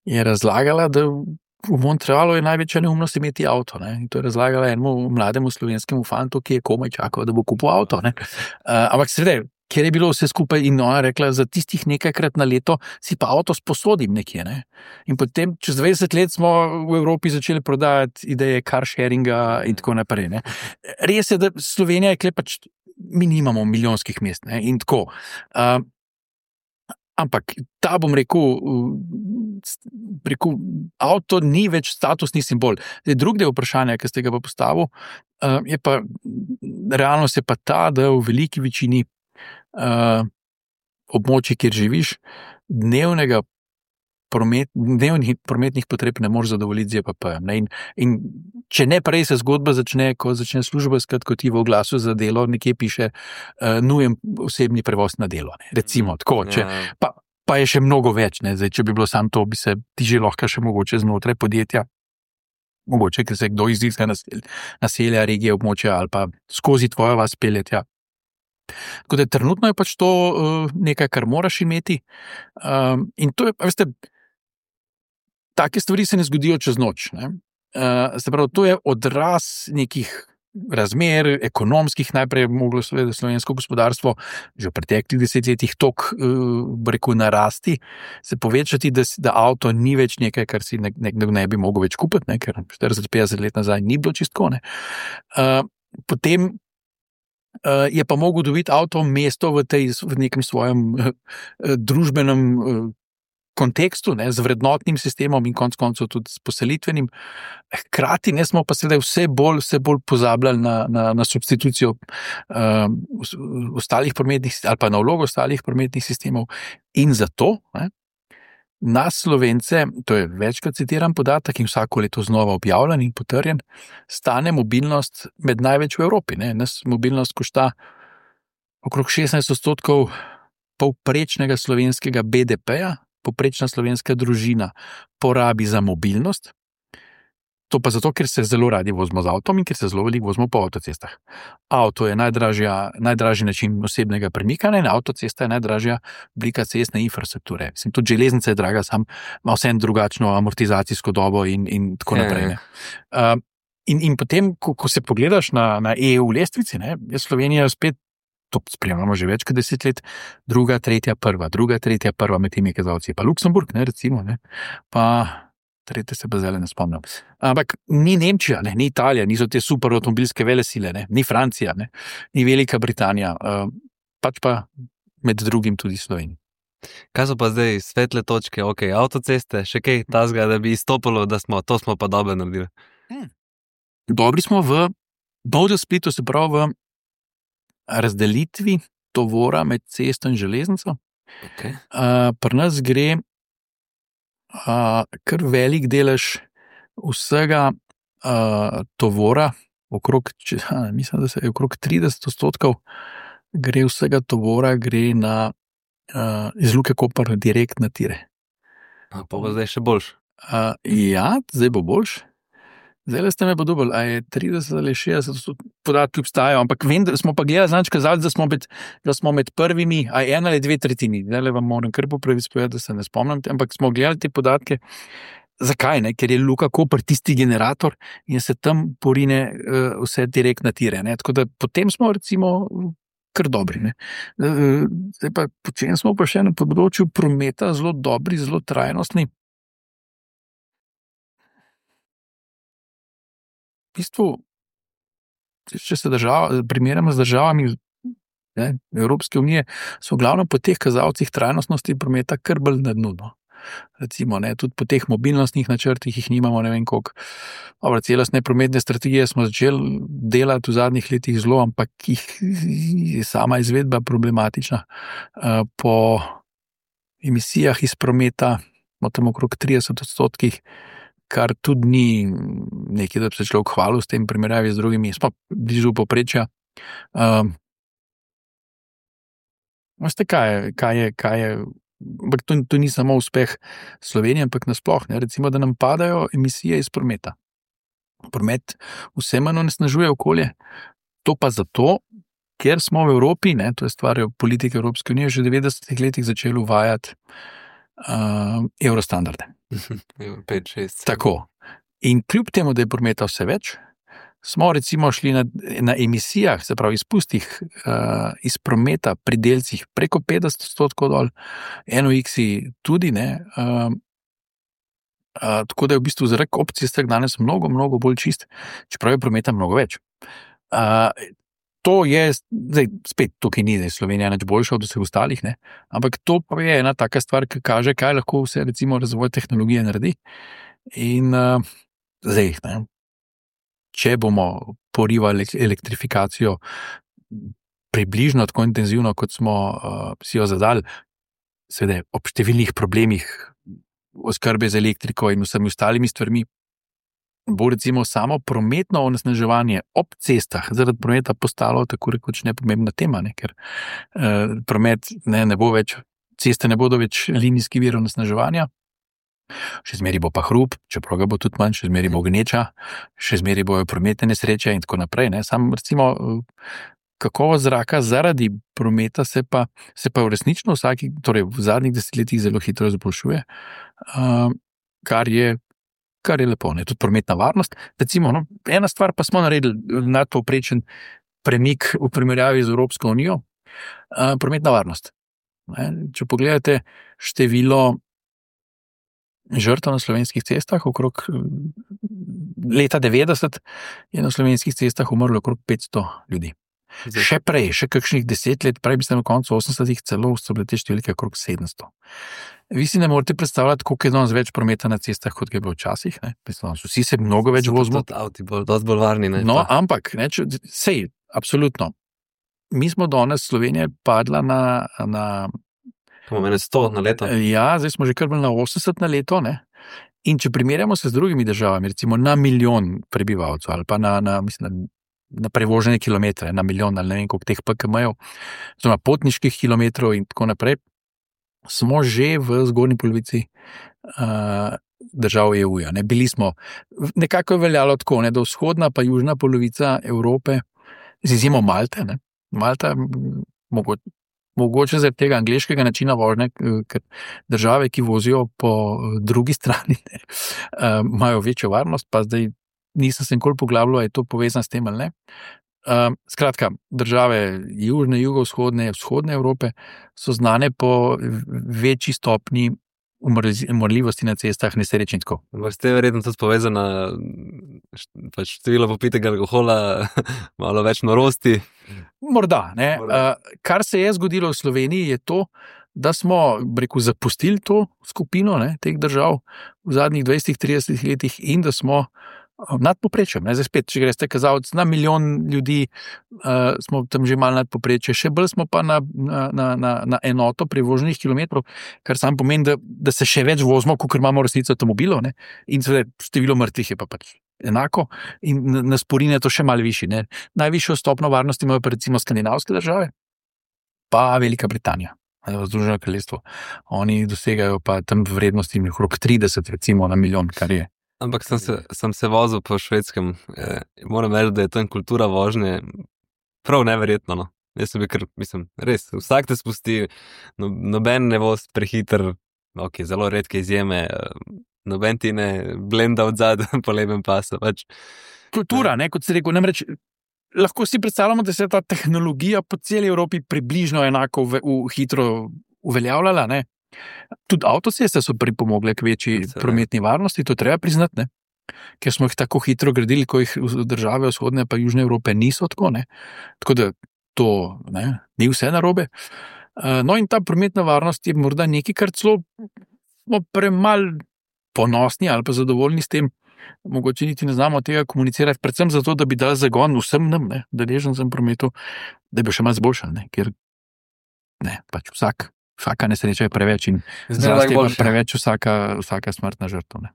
je razlagala, da v Montrealu je največja neumnost imeti avto. Ne? In to je razlagala enemu mlademu slovenskemu fantu, ki je komaj čakal, da bo kupil avto. Ne? Uh, ampak seveda, ker je bilo vse skupaj in ona rekla, za tistih nekajkrat na leto si pa avto sposodim nekje. Ne? In potem, čez dvajset let smo v Evropi začeli prodajati ideje car sharinga in tako naprej. Ne? Res je, da Slovenija je klepač, mi nimamo milijonskih mest, ne? In tako. Uh, Ampak ta, bom rekel, rekel, avto ni več statusni simbol. Zdaj, drug del vprašanja, ki ste ga pa postavil, je pa, realnost je pa ta, da v veliki večini uh, območij, kjer živiš, dnevnega promet, dnevnih prometnih potreb ne moreš zadovoljiti z J P P-jem. In, in če ne prej se zgodba začne, ko začne služba iskati, kot ti v oglasu za delo, nekje piše uh, nujen osebni prevoz na delo. Ne. Recimo, tako. Če, pa, pa je še mnogo več. Ne. Zdaj, če bi bilo samo to, bi se ti že lahko še mogoče znotraj podjetja, mogoče, ker se kdo izdiha naselja, naselja, regije, območja ali pa skozi tvojo vas peljetja, Tako da trenutno je pač to uh, nekaj, kar moraš imeti. Um, in to je, veste, take stvari se ne zgodijo čez noč. Ne? Uh, se pravi, to je odraz nekih razmer, ekonomskih, najprej je moglo seveda slovensko gospodarstvo že v preteklih desetletjih tok, uh, rekel, narasti, se povečati, da, da avto ni več nekaj, kar si nekdo ne, ne bi mogel več kupiti, ne? Ker štirideset petdeset let nazaj ni bilo čistko. Uh, potem uh, je pa mogel dobiti avto mesto v, tej, v nekem svojem uh, družbenem uh, kontekstu, ne, z vrednotnim sistemom in konec koncev tudi s poselitvenim. Hkrati ne smo pa seveda vse bolj, vse bolj pozabljali na, na, na substitucijo um, ostalih prometnih ali pa na vlogo ostalih prometnih sistemov. In zato ne, nas Slovence, to je večkrat citiran podatek in vsako leto znova objavljen in potrjen, stane mobilnost med največ v Evropi. Ne. Nas mobilnost košta okrog šestnajst odstotkov povprečnega slovenskega B D P-ja, povprečna slovenska družina porabi za mobilnost, to pa zato, ker se zelo radi vozimo z avtom in ker se zelo veliko vozimo po avtocestah. Avto je najdražja, najdražji način osebnega premikanja in avtocesta je najdražja oblika cestne infrastrukture. Mislim, tudi železnica je draga, sam ima vseeno drugačno amortizacijsko dobo in, in tako naprej. Uh, in, in potem, ko, ko se pogledaš na, na E U lestvici, ne, je Slovenija spet, to spremljamo že več kot deset let, druga, tretja, prva, druga, tretja, prva med temi kazalci. Pa Luksemburg, ne, recimo, ne, pa tretje se pa zdaj ne spomnim. Ampak ni Nemčija, ne, ni Italija, niso te super avtomobilske velesile, ne, ni Francija, ne, ni Velika Britanija, uh, pač pa med drugim tudi Slovenija. Kaj so pa zdaj svetle točke, ok, avtoceste, še kaj tazga, da bi izstopilo, da smo, to smo pa dobro naredili? Hmm. Dobri smo v Bovdu Splitu, se pravi v razdelitvi tovora med cesto in železnico. Okay. Uh, pri nas gre uh, kar velik delež vsega uh, tovora, okrog, če, ha, mislim, da se je okrog trideset odstotkov gre vsega tovora gre na, uh, iz Luke Koper direkt na tire. A, pa bo zdaj še boljš? Uh, ja, zdaj bo boljš. Zdaj ste me pa dobili, a je trideset ali šestdeset podatki obstajajo, ampak vem, da smo pa gledali, znači kazali, da smo med, da smo med prvimi, a je ena ali dve tretjini. Zdaj le vam moram kar popravi spovedati, da se ne spomnim, ampak smo gledali te podatke. Zakaj? Ne? Ker je Luka Koper tisti generator in se tam porine uh, vse direkt na tire. Ne? Tako da potem smo recimo kar dobri. Ne? Uh, zdaj pa počem smo pa še na področju prometa zelo dobri, zelo trajnostni. V bistvu, če se država, primerjamo z državami ne, Evropske unije, so glavno po teh kazalcih trajnostnosti prometa kar bolj na dnu. No. Recimo, ne, tudi po teh mobilnostnih načrtih jih nimamo, ne vem koliko. Dobro, celostne prometne strategije smo začeli delati v zadnjih letih zelo, ampak jih je sama izvedba problematična. Po emisijah iz prometa, tam okrog trideset odstotkih, kar tudi ni nekaj, da bi se človek hvalil s tem primerjavi z drugimi, smo blizu povprečja. Um, veste, kaj je, kaj je, kaj je, ampak to, to ni samo uspeh Slovenije, ampak nasploh, ne, recimo, da nam padajo emisije iz prometa. Promet vse manj onesnažuje okolje, to pa zato, ker smo v Evropi, ne, to je stvar politike Evropske unije, že v devetdesetih letih začeli uvajati uh, eurostandarde. pet šest Tako. In kljub temu, da je prometa vse več, smo recimo šli na, na emisijah, se pravi izpustih uh, iz prometa pri delcih preko petdeset odstotkov dol, N O X-i tudi, ne, uh, uh, tako da je v bistvu zrak ob cestah danes mnogo, mnogo bolj čist, čeprav je prometa mnogo več. Uh, to je, zdaj spet tukaj ni, da je Slovenija nič boljša od vseh ostalih, ne? Ampak to pa je ena taka stvar, ki kaže, kaj lahko vse recimo razvoj tehnologije naredi. In uh, zdaj, ne, če bomo porivali elektrifikacijo približno tako intenzivno, kot smo uh, si jo zadali, seveda ob številnih problemih oskrbe z elektriko in vsemi ostalimi stvarmi, bo recimo samo prometno onesnaževanje ob cestah zaradi prometa postalo tako rekoč nepomembna tema, ne? Ker uh, promet ne, ne bo več, ceste ne bodo več linijski vir onesnaževanja, še zmeri bo pa hrup, čeprav ga bo tudi manj, še zmeri bo gneča, še zmeri bojo prometne nesreče in tako naprej. Ne? Sam recimo kakovost zraka zaradi prometa se pa, se pa v resnično vsaki, torej v zadnjih desetletjih zelo hitro izboljšuje, uh, kar je, kar je lepo. Ne? Tudi prometna varnost. Recimo, no, ena stvar pa smo naredili nadpovprečen premik v primerjavi z Evropsko unijo, uh, prometna varnost. Ne? Če pogledate število žrtev na slovenskih cestah, okrog leta devetdeset je na slovenskih cestah umrlo okrog petsto ljudi. Zdaj. Še prej, še kakšnih deset let prej, mislim, na koncu osemdesetih celo so bile te številke okrog sedemsto. Vi si ne morete predstavljati, koliko je danes več prometa na cestah, kot je bilo včasih. Ne? Mislim, vsi se mnogo več vozimo. Avti bolj, dosti bolj varni. Ne? No, pa. Ampak, ne, če, sej, absolutno. Mi smo danes, Slovenija padla na... na Pomeni sto na leto. Ja, zdaj smo že kar bili na osemdeset na leto, ne? In če primerjamo se z drugimi državami, recimo na milijon prebivalcev ali pa na, na, mislim, na prevožene kilometre, na milijon ali ne vem koliko teh P K M-jev, oziroma potniških kilometrov in tako naprej, smo že v zgornji polovici uh, držav E U-ja. Ne? Bili smo, nekako je veljalo tako, ne? Da vzhodna pa južna polovica Evrope, z izjemo Malte, ne? Malta mogoče, mogoče zaradi tega angleškega načina vožnje, ker države, ki vozijo po drugi strani, ne, imajo večjo varnost, pa zdaj nisem se nikoli poglabljal, je to povezano s tem ali ne. Skratka, države južne, jugovzhodne, vzhodne Evrope so znane po večji stopni umrljivosti na cestah, nesreč in tako. Ste verjetno tudi povezana, pač število popitega alkohola, malo več norosti. Morda, ne. Morda. Uh, kar se je zgodilo v Sloveniji je to, da smo, rekel, zapustili to skupino, ne, teh držav v zadnjih dvajsetih tridesetih letih in da smo nad povprečjem. Zdaj spet, če greste kazalec na milijon ljudi, uh, smo tam že malo nad povprečje, še bolj smo pa na, na, na, na enoto prevoženih kilometrov, kar sam pomeni, da, da se še več vozimo, kot imamo resnico avtomobilov, ne, in seveda število mrtvih je pa pač enako in na sporine je to še malo višji. Ne. Najvišjo stopno varnosti imajo pa recimo skandinavske države, pa Velika Britanija, Združeno kraljestvo. Oni dosegajo pa tam vrednosti okrog trideset recimo na milijon, kar je. Ampak sem se, sem se vozil po Švedskem, eh, moram reči, da je tam kultura vožnje prav neverjetno. No. Jaz sem bil kar, mislim, res, vsak te spusti, no, noben ne voz prehiter, ok, zelo redke izjeme, noben ti ne blenda od zad po levem pasu. Pač. Kultura, ne, kot si rekel, namreč lahko si predstavljamo, da se je ta tehnologija po celi Evropi približno enako v, v hitro uveljavljala, ne. Tudi avtoceste so pripomogle k večji prometni varnosti, to treba priznati, ne? Ker smo jih tako hitro gradili, ko jih države vzhodne pa južne Evrope niso tako, ne? Tako da to, ne, ni vse narobe. No in ta prometna varnost je morda nekaj, kar celo smo premal ponosni ali pa zadovoljni s tem, mogoče niti ne znamo tega komunicirati, predvsem zato, da bi dali zagon vsem nam, ne, deležencem prometu, da bi še malo zboljšali, ne, ker ne, pač vsak Vsaka nesreča je preveč in zlasti je preveč vsaka, vsaka smrtna žrtev. Ne.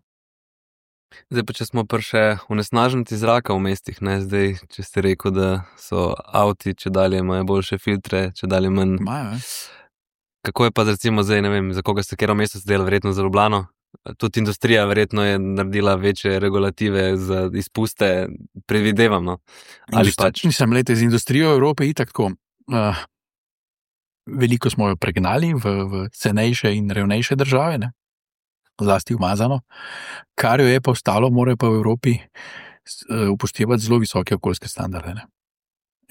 Zdaj pa, če smo pa še onesnaženci zraka v mestih, ne, zdaj, če ste rekel, da so avti, če dalje imajo boljše filtre, če dalje manj. Majo, Kako je pa recimo zdaj, ne vem, za koga ste kjero mesto zdelo, verjetno za Ljubljano? Tudi industrija verjetno je naredila večje regulative za izpuste, predvidevam, no. Ali pač? Nisem lete z industrijo Evrope itak tako. Uh, Veliko smo jo pregnali v, v cenejše in revnejše države, ne? Zlasti umazano. Kar jo je pa ostalo, morajo pa v Evropi upoštevati zelo visoke okoljske standarde. Ne?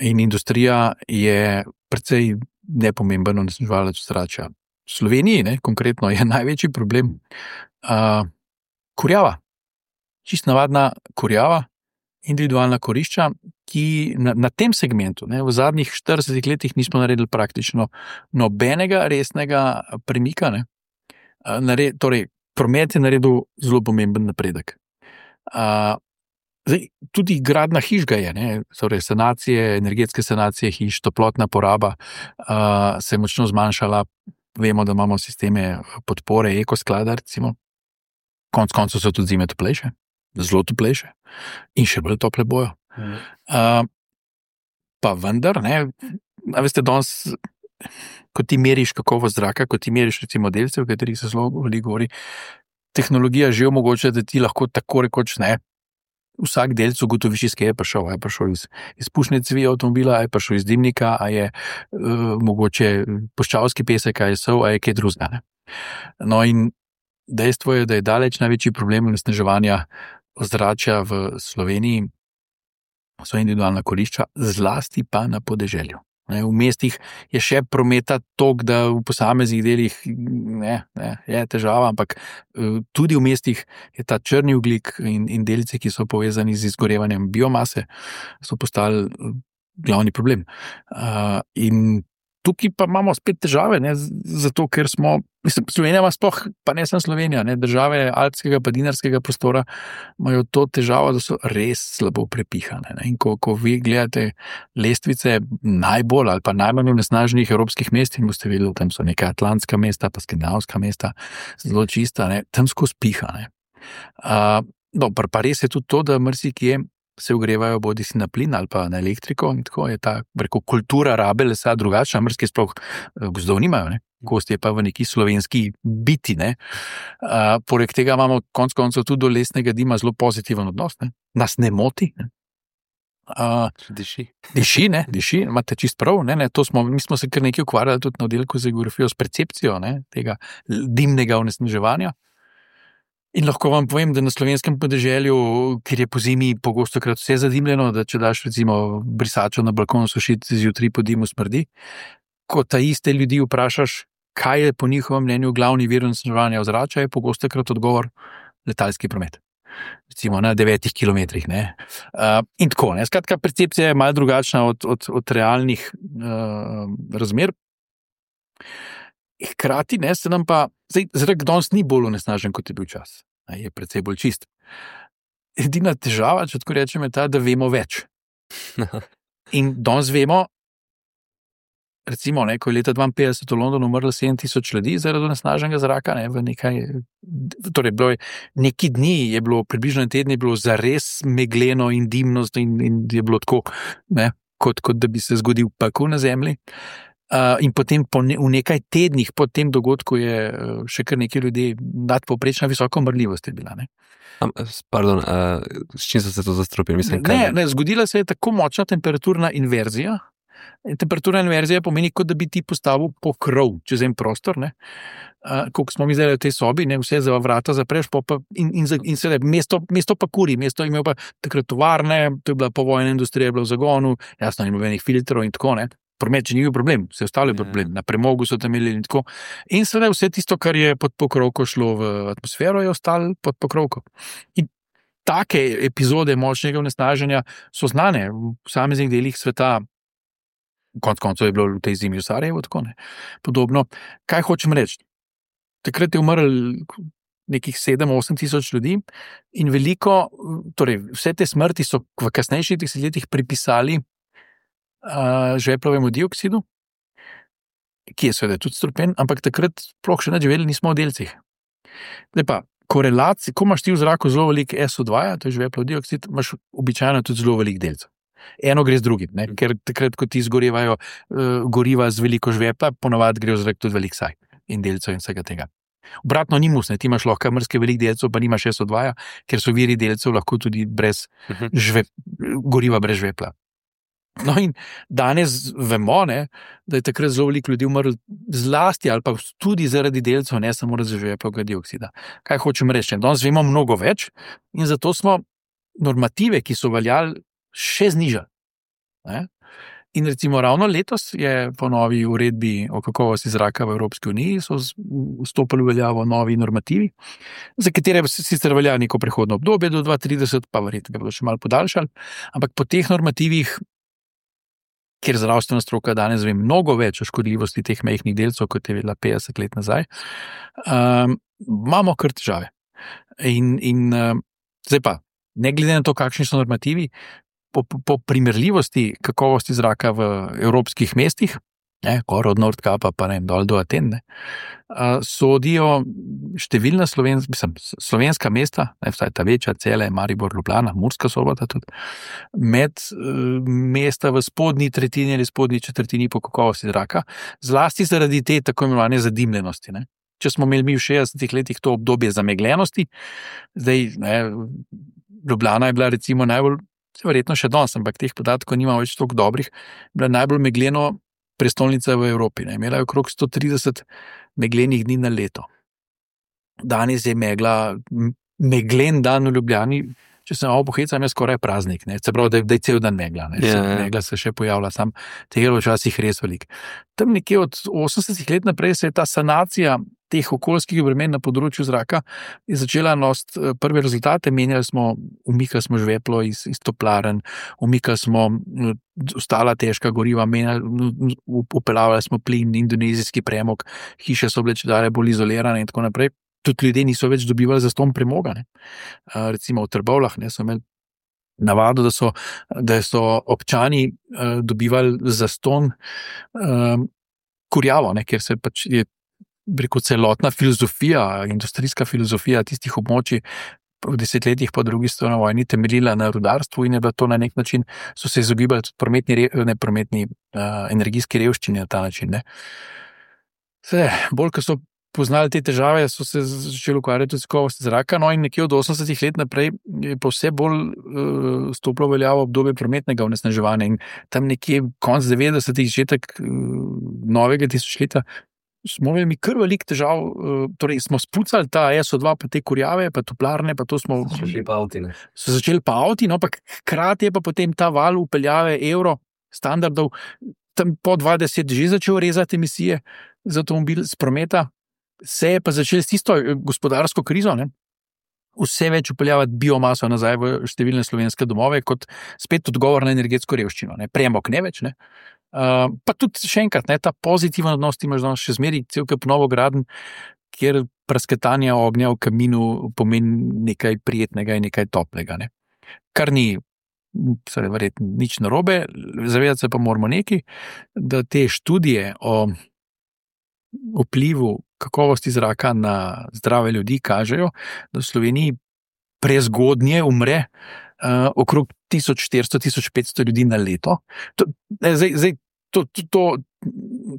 In industrija je precej nepomemben onesnaževalec zračja. V Sloveniji, ne, konkretno, je največji problem uh, kurjava. Čist navadna kurjava, individualna kurišča, ki na, na tem segmentu, ne, v zadnjih štiridesetih letih nismo naredili praktično nobenega resnega premika. Ne. Nared, torej, promet je naredil zelo pomemben napredek. Uh, zdaj, tudi gradna hiš ga je, ne, torej sanacije, energetske sanacije hiš, toplotna poraba uh, se je močno zmanjšala. Vemo, da imamo sisteme podpore, ekosklada, recimo. Konc koncev so tudi zime toplejše. Zelo toplejše in še bolj tople bojo. Mm. Uh, pa vendar, ne, a veste, danes, ko ti meriš kakovost zraka, ko ti meriš recimo delce, v katerih se zelo veliko govori, tehnologija že omogoča, da ti lahko tako rekoč, ne, vsak delc ugotoviš, iz kje je prišel. A je prišel iz izpušne cevi avtomobila, a je prišel iz dimnika, a je uh, mogoče puščavski pesek, a je sol, a je kaj drugega. Ne? No in dejstvo je, da je daleč največji problem onesnaževanja ozračja v Sloveniji, so individualna kurišča, zlasti pa na podeželju. V mestih je še prometa toliko, da v posameznih delih ne, ne, je težava, ampak tudi v mestih je ta črni ogljik in, in delci, ki so povezani z izgorevanjem biomase, so postali glavni problem. Uh, in tukaj pa imamo spet težave, ne, zato ker smo, mislim, Slovenija ima sploh, pa ne samo Slovenija, ne, države alpskega pa dinarskega prostora imajo to težavo, da so res slabo prepihane. Ne. In ko, ko vi gledate lestvice najbolj ali pa najmanj onesnaženih evropskih mest, in boste videli, tam so neka atlantska mesta, pa skandinavska mesta, zelo čista, ne, tam skozi piha. Ne. Uh, no, pa res je tudi to, da marsikje se ogrevajo bodi si na plin ali pa na elektriko in tako je ta preko kultura rabe lesa drugačna, mrske sploh gozdov nimajo, ne? Gost je pa v neki slovenski biti. Ne? Uh, poleg tega imamo konc koncev tudi do lesnega dima zelo pozitiven odnos, ne? Nas ne moti. Ne? Uh, diši. Diši, ne, diši, imate čist prav. Ne, ne, to smo, mi smo se kar nekaj ukvarjali tudi na oddelku za geografijo s percepcijo, ne, tega dimnega onesnaževanja. In lahko vam povem, da na slovenskem podeželju, kjer je po zimi pogosto krat vse zadimljeno, da če daš recimo brisačo na balkonu sušiti, zjutraj po dimu smrdi, ko ta iste ljudi vprašaš, kaj je po njihovem mnenju glavni vir onesnaževanja ozračja, je pogosto krat odgovor letalski promet. Recimo na devetih kilometrih. Ne. Uh, in tako, ne. Skratka, percepcija je malo drugačna od, od, od realnih uh, razmer. Hkrati ne, se nam pa, zdaj, zrak danes ni bolj onesnažen, kot je bil čas. Je precej bolj čist. Edina težava, če tako rečem, je ta, da vemo več. In danes vemo, recimo, ne, ko je leta dvainpetdeset v Londonu umrlo sedem tisoč ljudi zaradi onesnaženega zraka, ne, v nekaj, torej bilo je, neki dni je bilo, približno tedni je bilo zares megleno in dimnost in, in je bilo tako, ne, kot, kot da bi se zgodil pekel na zemlji. Uh, in potem po ne, v nekaj tednih po tem dogodku je uh, še kar nekaj ljudi nadpovprečna visoka umrljivost je bila. Ne? Um, pardon, uh, s čim so se to zastrupili? Mislim, ne, ne, zgodila se je tako močna temperaturna inverzija. Temperaturna inverzija pomeni, kot da bi ti postavil pokrov čez en prostor. Ne? Uh, koliko smo mi zdaj v tej sobi, ne, vse za vrata zapreš pa, in, in, in se le, mesto, mesto pa kuri, mesto imel pa takrat tovarne, to je bila povojna industrija, je bila v zagonu, jasno, ni nobenih filtrov in tako, ne. Promet, če ni bil problem, vse ostalo je problem, na premogu so tam imeli in tako. In seveda vse tisto, kar je pod pokrovko šlo v atmosfero, je ostalo pod pokrovko. In take epizode močnega onesnaženja so znane v posameznih delih sveta, konec koncev je bilo v tej zimi v Sarajevu, tako ne. Podobno. Kaj hočem reči? Takrat je umrl nekih sedem osem tisoč ljudi in veliko, torej vse te smrti so v kasnejših desetletjih pripisali Uh, žveplovemu dioksidu, ki je seveda tudi strupen, ampak takrat sploh še nič vedeli nismo o delcih. Zdaj pa, korelacija, ko imaš ti v zraku zelo veliko es o dva, to je žveplov dioksid, imaš običajno tudi zelo veliko delcev. Eno gre z drugim, ne? Ker takrat, ko ti izgorevajo uh, goriva z veliko žvepla, ponavadi gre v zrak tudi veliko saj in delcev in vsega tega. Obratno ni mus, ne? Ti imaš lahko mrske veliko delcev, pa nimaš es o dva, ker so viri delcev lahko tudi brez žvep, goriva brez žvepla. No in danes vemo, ne, da je takrat zelo veliko ljudi umrlo zlasti ali pa tudi zaradi delcev, ne samo zaradi žveplovega dioksida. Kaj hočem reči? Danes vemo mnogo več in zato smo normative, ki so veljali, še znižali. Ne? In recimo ravno letos je po novi uredbi o kakovosti zraka v Evropski uniji so vstopili v veljavo novi normativi, za katere sicer velja neko prehodno obdobje do dva tisoč trideset, pa verjetno ga bodo še malo podaljšali, ampak po teh normativih, kjer zdravstvena stroka danes ve mnogo več o škodljivosti teh majhnih delcev, kot je bila petdeset let nazaj, um, imamo kar težave. In, in uh, zdaj pa, ne glede na to, kakšni so normativi, po, po primerljivosti kakovosti zraka v evropskih mestih, ne, gor od Nordkapa pa ne, dol do Aten, ne, uh, sodijo številna slovenska, mislim, slovenska mesta, ne, vsaj ta večja, Celje, Maribor, Ljubljana, Murska Sobota tudi, med uh, mesta v spodnji tretjini ali spodnji četrtini po kakovosti zraka, zlasti zaradi te tako imenovane zadimljenosti. Ne. Če smo imeli mi v šestdesetih letih to obdobje zamegljenosti, zdaj ne, Ljubljana je bila recimo najbolj, verjetno še danes, ampak teh podatkov nima več toliko dobrih, bila najbolj megleno prestolnica v Evropi. Ne. Imela je okrog sto trideset meglenih dni na leto. Danes je megla, meglen dan v Ljubljani, če se malo pohecam, je skoraj praznik. Ne. Se pravi, da je, da je cel dan megla. Ne. Ja, ja. Megla se še pojavlja, sam tega je včasih res veliko. Tam nekje od osemdesetih let naprej se je ta sanacija teh okoljskih bremen na področju zraka je začela nositi prve rezultate. Menjali smo, umikali smo žveplo iz, iz toplaren, umikali smo ostala težka goriva, menjali, upeljavali smo plin, indonezijski premog, hiše so bile čedalje bolj izolirane in tako naprej. Tudi ljudje niso več dobivali zastonj premoga. Ne. Recimo v Trbovljah ne, so imeli navado, da so, da so občani uh, dobivali zastonj uh, kurjavo, ne, ker se pač je preko celotna filozofija, industrijska filozofija tistih območij v desetletjih po drugi svetovni vojni temeljila na rudarstvu in je bilo to na nek način, so se izogibali tudi prometni, ne, prometni uh, energijski revščini na ta način. Ne. Se, bolj, ko so poznali te težave, so se začeli ukvarjati tudi s kakovostjo zraka, no in nekje od osemdesetih let naprej je pa vse bolj uh, stopilo veljavo obdobje prometnega onesnaževanja in tam nekje konec devetdesetih, začetek uh, novega tisočletja smo imeli kar veliko težav, uh, torej smo spucali ta S O dva, pa te kurjave, pa toplarne, pa to smo... So začeli pa avti, ne? So začeli pa avti, no, pa hkrati je pa potem ta val upeljave evro standardov tam po dvajset že začel rezati emisije z avtomobil, z prometa, se je pa začel s tisto gospodarsko krizo, ne? Vse več upeljavati biomaso nazaj v številne slovenske domove kot spet odgovor na energetsko revščino, ne? Premog ne več, ne? Uh, pa tudi še enkrat, ne, ta pozitiven odnos imaš danes še zmeri, cel kup novogradenj, kjer prasketanje ognja v kaminu pomeni nekaj prijetnega in nekaj toplega. Ne. Kar ni, seveda, verjetno nič narobe, zavedati se pa moramo nekaj, da te študije o vplivu kakovosti zraka na zdrave ljudi kažejo, da v Sloveniji prezgodnje umre uh, okrog tisoč štiristo do tisoč petsto ljudi na leto. To, zdaj, zdaj, to, to, to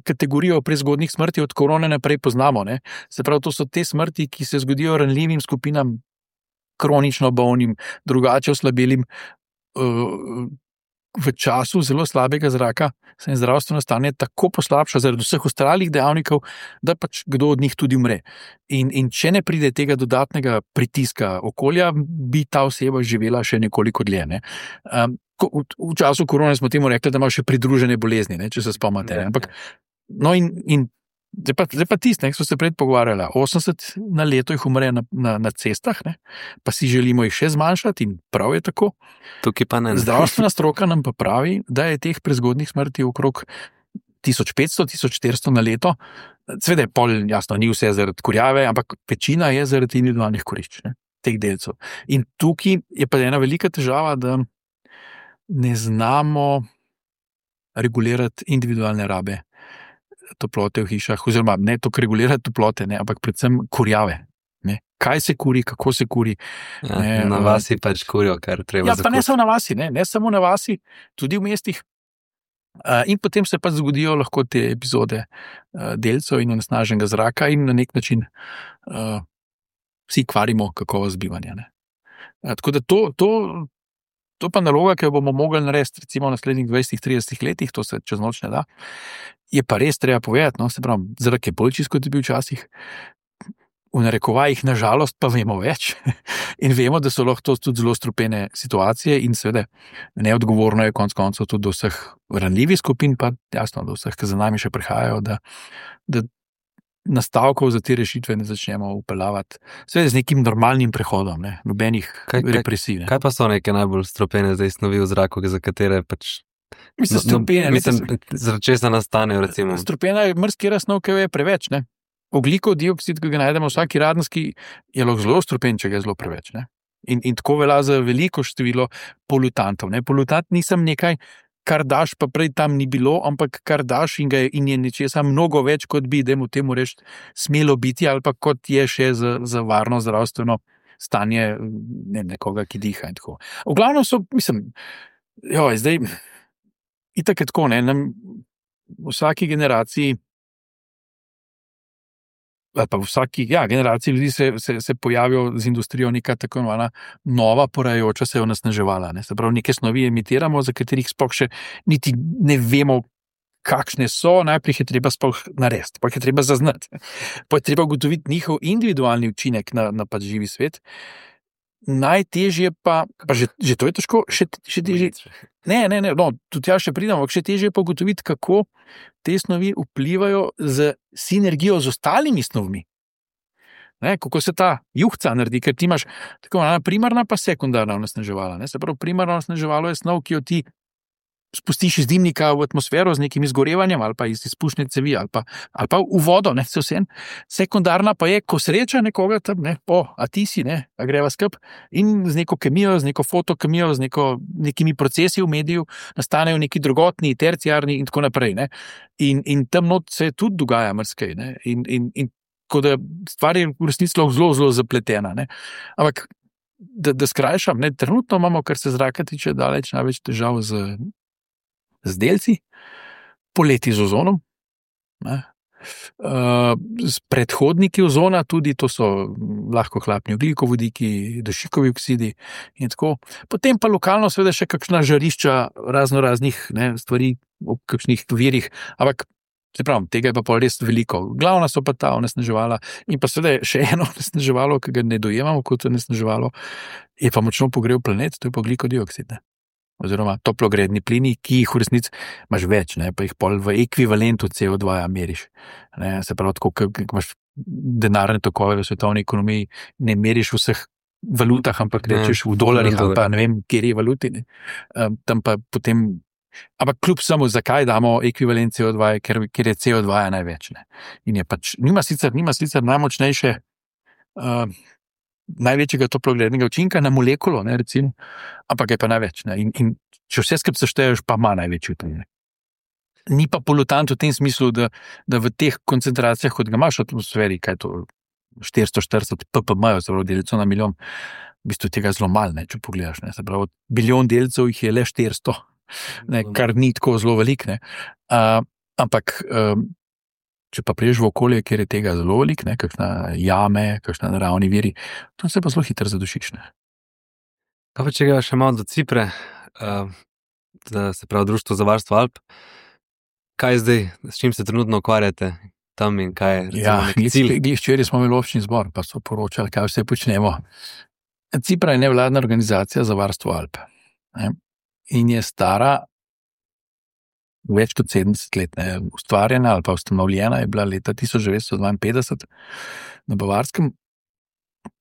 kategorijo prezgodnih smrti od korone naprej poznamo. Ne? Se pravi, to so te smrti, ki se zgodijo ranljivim skupinam, kronično bolnim, drugače oslabelim, uh, v času zelo slabega zraka se je zdravstveno stanje tako poslabša zaradi vseh ostalih dejavnikov, da pač kdo od njih tudi umre. In, in če ne pride tega dodatnega pritiska okolja, bi ta oseba živela še nekoliko dlje. Ne? Um, v, v času korone smo temu rekli, da ima še pridružene bolezni, ne? Če se spomnite. Ampak, no in, in zdaj pa, zdaj pa tist, ne, so se pred pogovarjali, osemdeset na leto jih umre na, na, na cestah, ne, pa si želimo jih še zmanjšati in prav je tako. Tukaj pa ne. Zdravstvena stroka nam pa pravi, da je teh prezgodnih smrti okrog tisoč petsto do tisoč štiristo na leto. Sveda je pol, jasno, ni vse zaradi kurjave, ampak večina je zaradi individualnih kurišč, ne, teh delcev. In tukaj je pa ena velika težava, da ne znamo regulirati individualne rabe toplote v hišah, oziroma ne to regulirati toplote, ne, ampak predvsem kurjave. Ne. Kaj se kuri, kako se kuri. Ja, ne, na vasi pač kurijo, kar treba ja, zakuriti. Pa ne samo na vasi, ne, ne samo na vasi, tudi v mestih. Uh, in potem se pa zgodijo lahko te epizode uh, delcev in onesnaženega zraka in na nek način uh, vsi kvarimo kakovost bivanja. Ne. Uh, tako da to, to To pa naloga, ki jo bomo mogli narediti recimo v naslednjih dvajset do trideset letih, to se čez noč ne da, je pa res treba povedati, no, se pravi, zrak je bolj čist, kot je bil včasih, v narekovajih nažalost pa vemo več in vemo, da so lahko to tudi zelo strupene situacije in seveda neodgovorno je konec koncev tudi do vseh ranljivih skupin, pa jasno, do vseh, ki za nami še prihajajo, da, da nastavkov za te rešitve ne začnemo upeljavati. Seveda z nekim normalnim prehodom, ne, nobenih represij. Ne. Kaj pa so neke najbolj strupene zdaj snovi v zraku, za katere pač... Mislim, strupene... No, mislim, zaradi česa nastanejo, recimo. Strupena je mrskera snov, ki je preveč, ne. Ogljikov dioksid, ki ga najdemo vsaki radenski, je lahko zelo strupen, če ga je zelo preveč, ne. In, in tako velja za veliko število polutantov, ne. Polutant nisem nekaj, kar daš, pa prej tam ni bilo, ampak kar daš in, ga je, in je nečesa mnogo več, kot bi, dajmo temu reči, smelo biti, ali pa kot je še za, za varno zdravstveno stanje ne, nekoga, ki diha in tako. V glavnem so, mislim, joj, zdaj, itak je tako, ne, nam v vsaki generaciji ali pa v vsaki ja, generaciji ljudi se, se, se pojavijo z industrijo neka tako imenovana nova porajajoča se onesnaževala. Ne? Se pravi, neke snovi emitiramo, za katerih sploh še niti ne vemo, kakšne so, najprej je treba sploh narediti, pa je treba zaznati, pa je treba ugotoviti njihov individualni učinek na, na pač živi svet. Najtežje pa, pa že, že to je težko, še, še težje. Ne, ne, ne, no, tudi ja še pridem, ampak še težje pa ugotoviti, kako te snovi vplivajo z sinergijo z ostalimi snovmi. Ne, kako se ta juhca naredi, ker ti imaš tako primarna pa sekundarna onesnaževala. Se pravi, primarno onesnaževalo je snov, ki jo ti spustiš iz dimnika v atmosfero z nekim izgorevanjem ali pa iz izpušne cevi ali pa, ali pa v vodo, ne, se vsem. Sekundarna pa je, ko sreča nekoga tam, ne, o, a ti si, ne, a greva skup in z neko kemijo, z neko fotokemijo, z neko, nekimi procesi v mediju nastanejo neki drugotni, terciarni in tako naprej, ne. In, in tam not se tudi dogaja marsikaj, ne, in, in, in tako da stvar je v resnici zelo, zelo zapletena, ne. Ampak, da, da skrajšam, ne, trenutno imamo, kar se zraka tiče, daleč največ težav z z delci, poleti z ozonom, ne. Uh, z predhodniki ozona tudi, to so lahko hlapni ogljikovodiki, dušikovi oksidi in tako. Potem pa lokalno seveda še kakšna žarišča razno raznih ne, stvari ob kakšnih virih, ampak se pravim, tega je pa pol res veliko. Glavna so pa ta onesnaževala in pa seveda še eno onesnaževalo, ki ga ne dojemamo kot onesnaževalo, je pa močno pogrel planet, to je pa ogljikodioksid, ne. Oziroma toplogredni plini, ki jih v resnici imaš več, ne, pa jih pol v ekvivalentu C O dva meriš. Ne, se pravi, tako, ko imaš denarne tokove v svetovni ekonomiji, ne meriš v vseh valutah, ampak rečeš v dolarjih ali pa ne vem, kjer je valuti. Ne. Um, tam pa potem, ampak kljub samo, zakaj damo ekvivalent C O dva, ker, ker je C O dva največ. Ne. In je pač, nima sicer, nima sicer najmočnejše uh, največjega toplogrednega učinka na molekulo, ne, recimo, ampak je pa največ. Ne, in, in če vse skupaj sešteješ, pa ima največji učinek. Ni pa polutant v tem smislu, da, da v teh koncentracijah, kot ga imaš v atmosferi, kaj je to štiristo štirideset ppm, se pravi delcev na milijon, v bistvu tega zelo malo, ne, če pogledaš. Ne, se pravi, bilijon delcev jih je le štiristo, ne, kar ni tako zelo velik. Ne, uh, ampak um, če pa priješ v okolje, kjer je tega zelo velik, ne, kakšna jame, kakšna naravni viri, to se pa zelo hitro zadušiš. Ne. Kaj pa če ga še malo do Cipre, uh, da se pravi Društvo za varstvo Alp, kaj zdaj, s čim se trenutno ukvarjate tam in kaj je ja, neki cilj? Glih včeraj smo imeli občni zbor, pa so poročali, kaj vse počnemo. Cipra je nevladna organizacija za varstvo Alp. Ne, in je stara več kot sedemdeset let, ne, ustvarjena ali pa ustanovljena je bila leta tisoč devetsto dvainpetdeset na Bavarskem,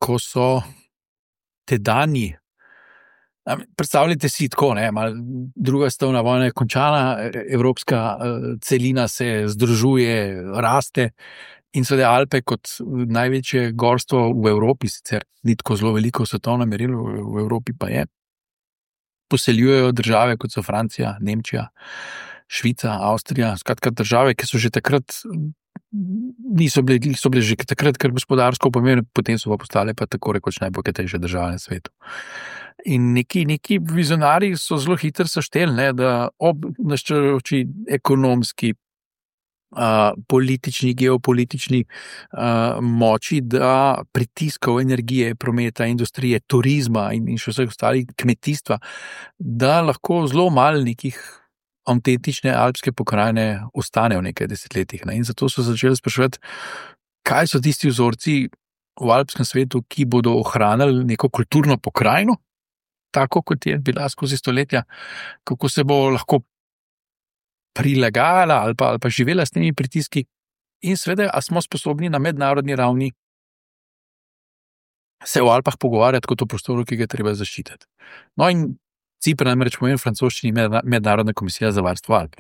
ko so tedanji, predstavljajte si tako, ne, mal, druga svetovna vojna je končana, evropska uh, celina se združuje, raste in seveda Alpe kot največje gorstvo v Evropi, sicer ni tako zelo veliko v svetovnem merilu, v Evropi pa je, poseljujejo države kot so Francija, Nemčija, Švica, Avstrija, skratka države, ki so že takrat niso bile, so bile že takrat kar gospodarsko pomembne, potem so pa postale pa tako rekoč najbogatejše države na svetu. In neki, neki vizionari so zelo hitro sešteli, ne, da ob naščajoči ekonomski, uh, politični, geopolitični uh, moči, da pritiskov energije, prometa, industrije, turizma in, in še vseh ostalih kmetijstva, da lahko zelo malo nekih avtentične alpske pokrajine ostane v nekaj desetletjih. Ne? In zato so začeli spraševati, kaj so tisti vzorci v alpskem svetu, ki bodo ohranili neko kulturno pokrajino, tako kot je bila skozi stoletja, kako se bo lahko prilagajala ali pa, ali pa živela s temi pritiski in seveda, a smo sposobni na mednarodni ravni se v Alpah pogovarjati kot o prostoru, ki ga treba zaščititi. No in Cipr namreč pomeni v francoščini Mednarodna komisija za varstvo Alp.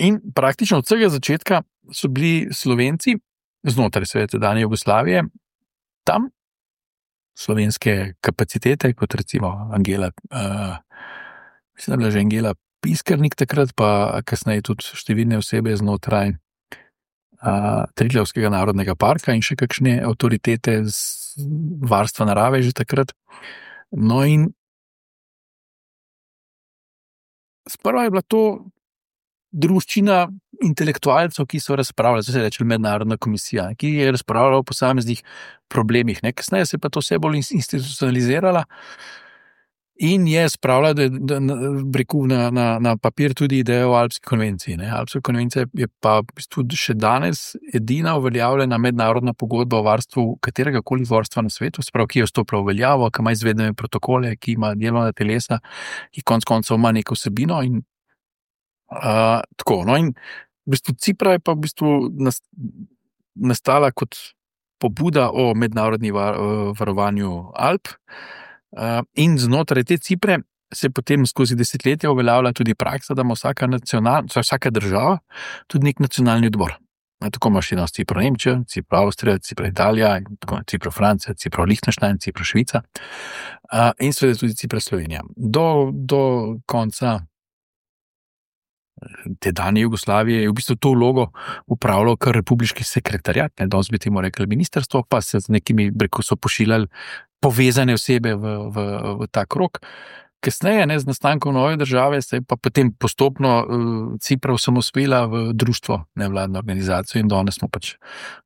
In praktično od vsega začetka so bili Slovenci, znotraj seveda tedanje Jugoslavije, tam slovenske kapacitete, kot recimo Angela, uh, mislim, da bila že Angela Piskarnik takrat, pa kasneje tudi številne osebe znotraj uh, Triglavskega narodnega parka in še kakšne avtoritete z varstva narave že takrat. No in sprva je bila to druščina intelektualcev, ki so razpravljali, to se reče mednarodna komisija, ki je razpravljala o posameznih problemih. Ne? Kasneje se je pa to vse bolj institucionalizirala in je spravila da, da, breku, na, na, na papir tudi idejo o Alpski konvenciji. Ne? Alpska konvencija je pa v bistvu še danes edina uveljavljena mednarodna pogodba o varstvu katerega koli varstva na svetu, sprav, ki je vstopila v veljavo, ki ima izvedene protokole, ki ima delovna telesa, ki konec koncev ima neko vsebino in Uh, tako, no in v bistvu Cipra je pa v bistvu nastala kot pobuda o mednarodni var, varovanju Alp uh, in znotraj te Cipre se potem skozi desetletja uveljavlja tudi praksa, da ima vsaka, vsaka država tudi nek nacionalni odbor. Tako imaš eno Cipro Nemčija, Cipro Avstrija, Cipro Italija, Cipro Francija, Cipro Liechtenstein, Cipro Švica uh, in seveda tudi Cipro Slovenija. Do, do konca te danje Jugoslavije je v bistvu to vlogo upravljal kar republiški sekretariat, ne, danes bi temu rekli ministrstvo, pa se z nekimi, preko so pošiljali povezane osebe v, v, v ta krog. Kasneje, ne, z nastankom nove države, se je pa potem postopno uh, Cipra osamosvojila v društvo, nevladno organizacijo in danes smo pač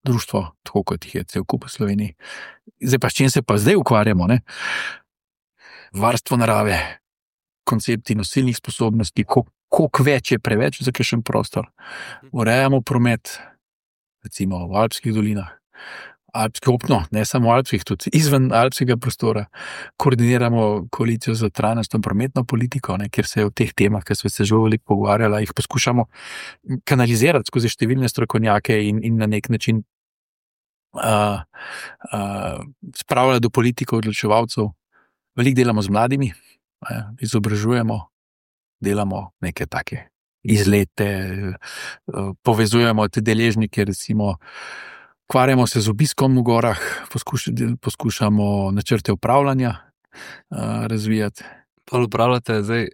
društvo, tako kot jih je cel kup v Sloveniji. Zdaj pa s čim se pa zdaj ukvarjamo, ne? Varstvo narave, koncepti nosilnih sposobnosti, koliko koliko več je preveč za kakšen prostor. Urejamo promet, recimo v alpskih dolinah, alpski opno, ne samo alpskih, tudi izven alpskega prostora. Koordiniramo koalicijo za trajnostno prometno politiko, ne, kjer se je v teh temah, ki smo se že veliko pogovarjali, jih poskušamo kanalizirati skozi številne strokovnjake in, in na nek način uh, uh, spravljati do politikov, odločevalcev. Veliko delamo z mladimi, uh, izobražujemo, delamo neke take izlete, povezujemo te deležnike, recimo, ukvarjamo se z obiskom v gorah, poskuš, poskušamo načrte upravljanja uh, razvijati. Pa upravljate zdaj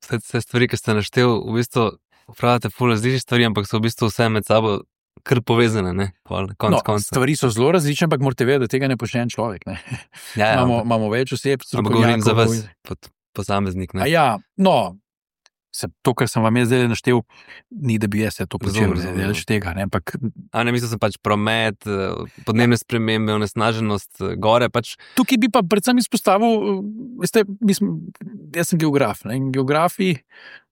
vse, vse stvari, ki ste naštel, v bistvu upravljate ful različnih stvari, ampak so v bistvu vse med sabo kar povezane, ne? Konc, no, stvari so zelo različne, ampak morate vedeti, da tega ne počne en človek. Ne? Ja, ja, imamo, imamo več oseb, ampak govorim za vas, pod posameznik. Ne? A ja, no, Se, to, kar sem vam jaz zdaj naštel, ni, da bi jaz se to počel, da več tega. Ne, ampak... A ne, mislil sem pač promet, podnebne spremembe, onesnaženost, gore pač. Tukaj bi pa predvsem izpostavil, veste, mislim, jaz sem geograf, ne, in geografi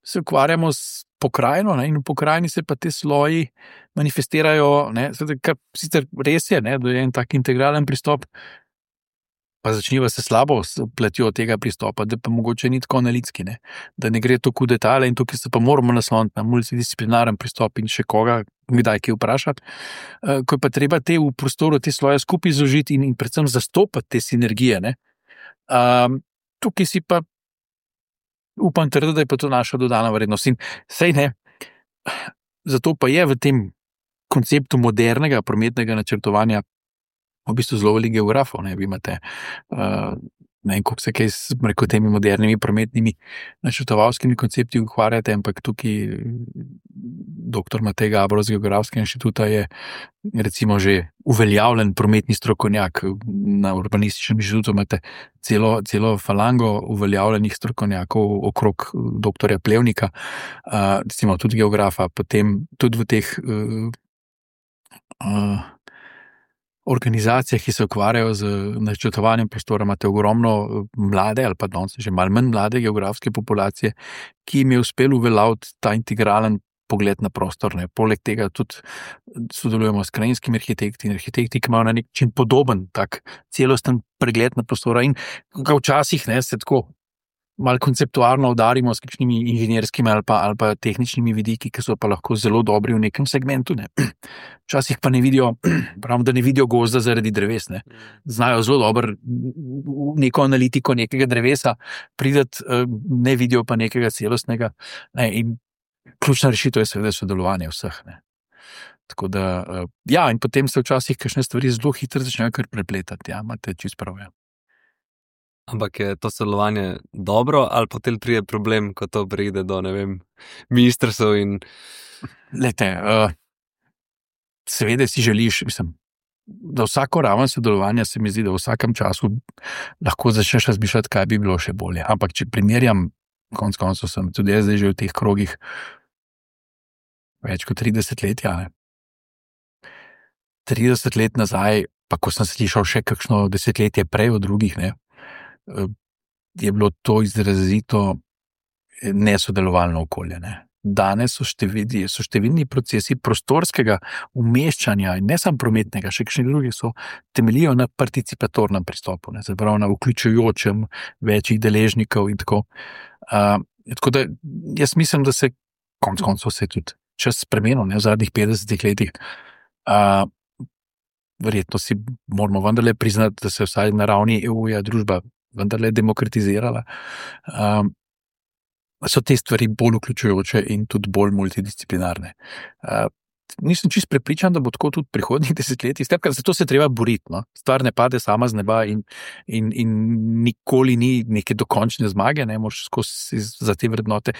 se ukvarjamo s pokrajino, ne, in v pokrajini se pa te sloji manifestirajo, ne, kar sicer res je, ne, da je en tak integralen pristop, pa začniva se slabo s platjo tega pristopa, da pa mogoče ni tako analitski, ne? Da ne gre toliko v detalje in tukaj se pa moramo nasloniti na multidisciplinaren pristop in še koga, kdaj kaj vprašati, ko je pa treba te v prostoru, te sloje skupaj zložiti in, in predvsem zastopati te sinergije. Ne? Um, tukaj si pa upam trditi, da je pa to naša dodana vrednost. In sej ne, zato pa je v tem konceptu modernega prometnega načrtovanja v bistvu zelo veliko geografov, ne, vi imate, uh, ne vem, koliko se kaj s preko temi modernimi prometnimi načrtovalskimi koncepti ukvarjate, ampak tukaj doktor Matej Gabrov z Geografskega inštituta je recimo že uveljavljen prometni strokovnjak. Na Urbanističnem inštitutu imate celo, celo falango uveljavljenih strokovnjakov okrog doktorja Plevnika, uh, recimo tudi geografa, potem tudi v teh uh, uh, organizacijah, ki se ukvarjajo z načrtovanjem prostora, imate ogromno mlade ali pa danes že malo manj mlade geografske populacije, ki jim je uspelo uveljaviti ta integralen pogled na prostor. Ne. Poleg tega tudi sodelujemo s krajinskimi arhitekti in arhitekti, ki imajo na nek način podoben tak celosten pregled na prostora in ga včasih ne, se tako malo konceptualno udarimo s kakšnimi inženirskimi ali pa, ali pa tehničnimi vidiki, ki so pa lahko zelo dobri v nekem segmentu. Ne. Včasih pa ne vidijo, pravim, da ne vidijo gozda zaradi dreves. Ne. Znajo zelo dobro neko analitiko nekega drevesa prideti, ne vidijo pa nekega celostnega. Ne. In ključna rešitev je seveda sodelovanje vseh. Ne. Tako da, ja, in potem se včasih kakšne stvari zelo hitro začnejo kar prepletati. Ja, imate čisto prav. Ja. Ampak je to sodelovanje dobro, ali potem pride problem, ko to pride do, ne vem, ministrstev in... Lete, uh, seveda si želiš, mislim, da vsako raven sodelovanja se mi zdi, da v vsakem času lahko začneš razmišljati, kaj bi bilo še bolje. Ampak če primerjam, konec koncev sem tudi jaz zdaj že v teh krogih, več kot trideset let, ja. trideset let nazaj, pa ko sem slišal še kakšno desetletje prej od drugih, ne, je bilo to izrazito nesodelovalno okolje. Ne. Danes so številni, so številni procesi prostorskega umeščanja, in ne samo prometnega, še kakšni drugi so temeljijo na participatornem pristopu, ne, zapravo na vključujočem večjih deležnikov in tako. Uh, tako da jaz mislim, da se konec koncev se tudi čas spremenil, ne, v zadnjih petdesetih letih. Uh, verjetno si moramo vendarle priznati, da se vsaj na ravni E U-ja družba vendarle demokratizirala. Um, so te stvari bolj vključujoče in tudi bolj multidisciplinarne. Uh, nisem čist prepričan, da bo tako tudi prihodnjih desetletij. Zato se treba boriti. No? Stvar ne pade sama z neba in, in, in nikoli ni neke dokončne zmage, ne moraš skozi za te vrednote.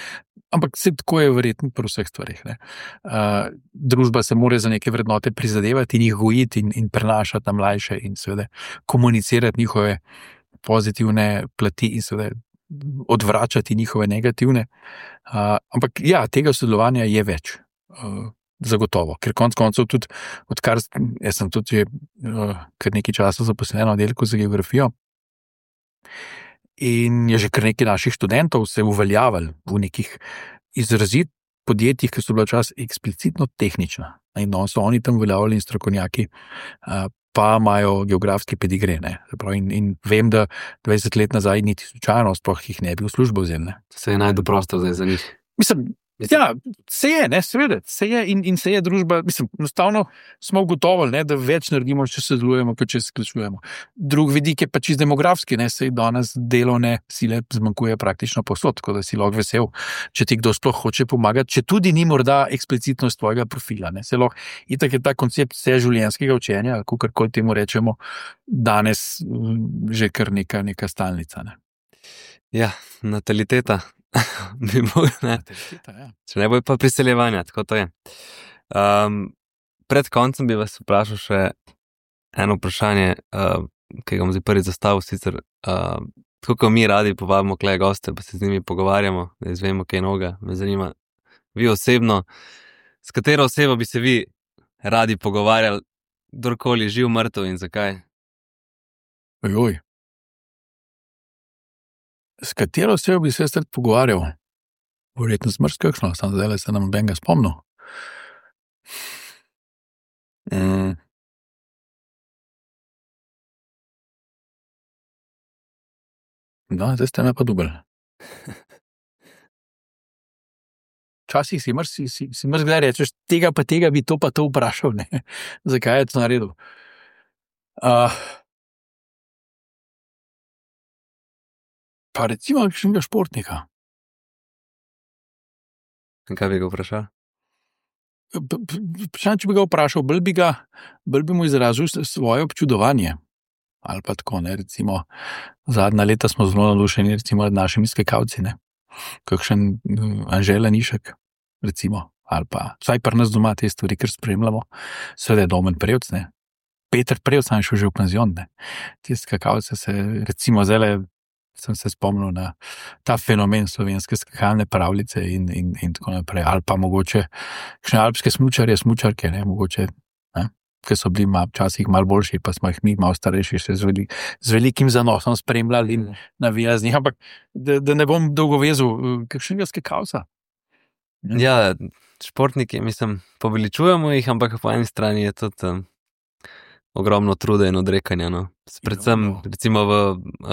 Ampak se tako je verjetno pri vseh stvarih. Ne? Uh, družba se mora za neke vrednote prizadevati in jih gojiti in, in prenašati na mlajše in seveda komunicirati njihove pozitivne plati in seveda odvračati njihove negativne. Uh, ampak ja, tega sodelovanja je več. Uh, zagotovo. Ker konec koncev tudi, odkar jaz sem tudi uh, kar nekaj časa zaposlen na oddelku za geografijo in je že kar nekaj naših študentov se uveljavili v nekih izrazit podjetjih, ki so bila čas eksplicitno tehnična. In no, so oni tam uveljavljali in strokovnjaki, uh, pa imajo geografski pedigre. In, in vem, da dvajset let nazaj niti slučajno sploh jih ne bi v službo vzeli. Se je najdu prostor zdaj za njih. Mislim, ja, se je, ne, seveda, se je in, in se je družba, mislim, enostavno smo ugotovili, ne, da več naredimo, če se sodelujemo, kot če se skličujemo. Drug vidik je pa čist demografski, ne, sej danes delovne sile zmanjkuje praktično povsod, tako da si lahko vesel, če ti kdo sploh hoče pomagati, če tudi ni morda eksplicitno iz tvojega profila, ne, se lahko, itak je ta koncept vseživljenjskega učenja, kakorkoli temu rečemo, danes že kar neka, neka stalnica, ne. Ja, nataliteta. Bi mogli, ne. Ja. Če ne bo pa priseljevanja, tako to je. Um, pred koncem bi vas vprašal še eno vprašanje, uh, ki ga bom zdaj prvi zastavil, sicer uh, tako kot mi radi povabimo kle goste, pa se z njimi pogovarjamo, da izvemo kaj noga. Me zanima, vi osebno, s katero osebo bi se vi radi pogovarjali, kdorkoli živ, mrtev in zakaj? Ojoj. S katero osebo bi se jaz rad pogovarjal? Verjetno smrst kakšno, sam zdaj se nam benga spomnil. Mm. No, zdaj ste me pa dubili. Včasih si mrst, si, si, si mrst gledaj rečeš, tega pa tega bi to pa to vprašal, ne? Zakaj je to naredil? Uh, Pa recimo kakšnega športnika. Kaj bi ga vprašal? Vprašam, če bi ga vprašal, bolj bi, ga, bolj bi mu izrazil svoje občudovanje. Ali pa tako, ne, recimo, zadnja leta smo zelo navdušeni, recimo, nad našimi skakalci, ne. Kakšen Anžela Nišek, recimo, ali pa, vsaj pri nas doma te stvari, ker spremljamo, seveda je Domen Prevc, ne. Peter Prevc sam šel že v penzion, ne. Te skakalce se, recimo, zdaj sem se spomnil na ta fenomen slovenske skakalne pravljice in, in, in tako naprej. Ali pa mogoče kakšne alpske smučarje, smučarke, ne, mogoče, ne, ki so bili mal, včasih malo boljši, pa smo jih mi malo starejši še z, velik, z velikim zanosom spremljali in navijali z njih. Ampak da, da ne bom dolgo vezil, kakšnega skakalca. Ja, športniki, mislim, poveličujemo jih, ampak po eni strani je tudi um, ogromno truda in odrekanja, no. Predvsem, recimo v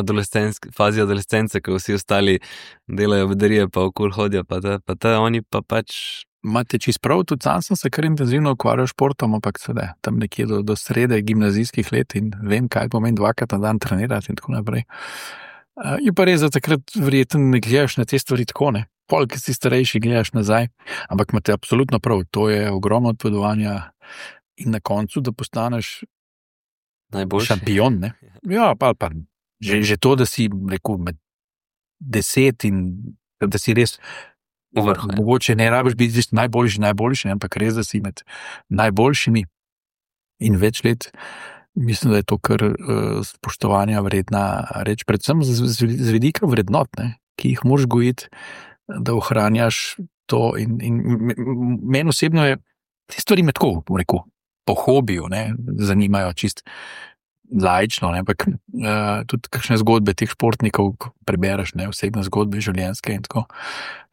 adolescenski, fazi adolescence, ko vsi ostali delajo bedarije, pa okol hodijo, pa te, pa te, oni pa pač... Imate čist prav, tudi sam sem se kar intenzivno ukvarjal športom, ampak sedaj, tam nekje do, do srede gimnazijskih let in vem, kaj pomeni dvakrat na dan trenirati in tako naprej. Uh, je pa res, da takrat verjetno ne gledaš na te stvari tako, ne. Pol, ki si starejši, gledaš nazaj, ampak imate absolutno prav, to je ogromno odpovedovanja in na koncu, da postaneš najboljši šampion, ne? Ja, pa, pa že, že to, da si rekel med deset in da si res vrh, mogoče ne rabiš biti najboljši, najboljši, ampak res, da si med najboljšimi in več let, mislim, da je to kar uh, spoštovanja vredna reč, predvsem z, z, z vidika vrednot, ne? Ki jih moraš gojiti, da ohranjaš to. In, in meni osebno je te stvari me tako, bom rekel, po hobiju, ne, zanimajo čist laično, ne, ampak uh, tudi kakšne zgodbe teh športnikov prebereš, ne, osebne zgodbe, življenjske in tako.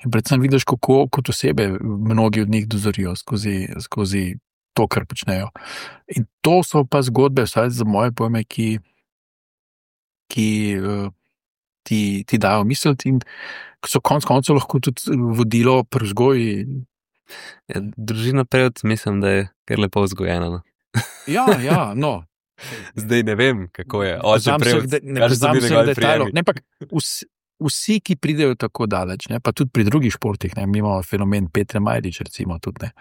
In predvsem vidiš, kako kot osebe mnogi od njih dozorijo skozi, skozi to, kar počnejo. In to so pa zgodbe, vsaj za moje pojme, ki, ki uh, ti, ti dajo misliti in so konc koncev lahko tudi vodilo pri vzgoji. Ja, družina Prevc, mislim, da je kar lepo vzgojena. No? Ja, ja, no. Zdaj ne vem, kako je. Oče Prevc, ne poznam vseh detajlov. Ne, ampak vsi, vsi, ki pridejo tako daleč, ne, pa tudi pri drugih športih, ne, mi imamo fenomen Petre Majdič, recimo tudi, ne,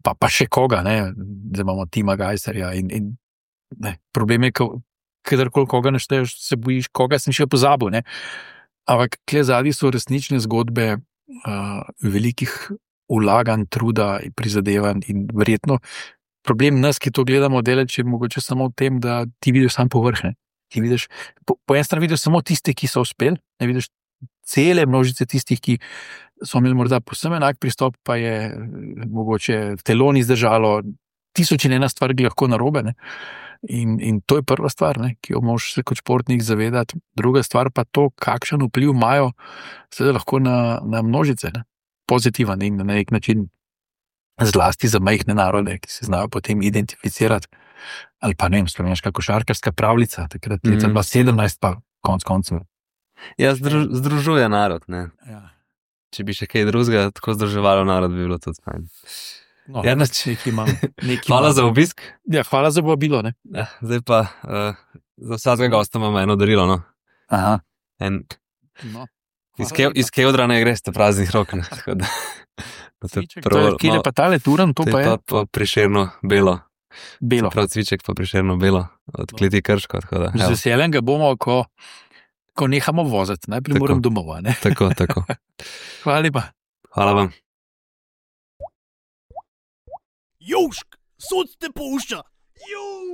pa, pa še koga, ne, zdaj imamo Tima Gajserja in, in ne, problem je, kadarkoli koga našteješ, se bojiš, koga sem še pozabil, ne. Ampak kle zadnji so resnične zgodbe uh, velikih vlaganj, truda in prizadevanj in verjetno problem nas, ki to gledamo deleč, je mogoče samo v tem, da ti vidiš sam povrh, ne. Ti vidiš, po, po eni strani vidiš samo tiste, ki so uspeli, ne vidiš cele množice tistih, ki so imeli morda posebno enak pristop, pa je mogoče telo ni zdržalo, tisoč in ena stvar bi lahko narobe, ne. In, in to je prva stvar, ne, ki jo moraš se kot športnik zavedati. Druga stvar pa to, kakšen vpliv imajo seveda lahko na, na množice, ne. Pozitiven in na nek način zlasti za majhne narode, ki se znajo potem identificirati. Ali pa ne vem, slovenska košarkarska pravljica, takrat mm. leta dva tisoč sedemnajst pa konc koncev. Ja, združ, združuje narod, ne. Ja. Če bi še kaj drugega tako združevalo narod, bi bilo tudi fajn. No, ja, nekaj imam. Nekaj hvala imam. Za obisk. Ja, hvala za povabilo, ne. Ja, zdaj pa uh, za vsakega gosta imamo eno darilo, no. Aha. En, no. Iz, ke, iz Kevdra ne greste praznih rok, ne. Tako da, cviček, to je, kje je pa tale turan, to pa je? To je pa Prešerno belo. Belo. Prav cviček pa Prešerno belo, od kleti Krško, tako da. Z veseljem ga bomo, ko, ko nehamo voziti, najprej moram domov, ne. Tako, tako. Hvala lepa. Hvala vam. Južk, sod te pušča. Južk.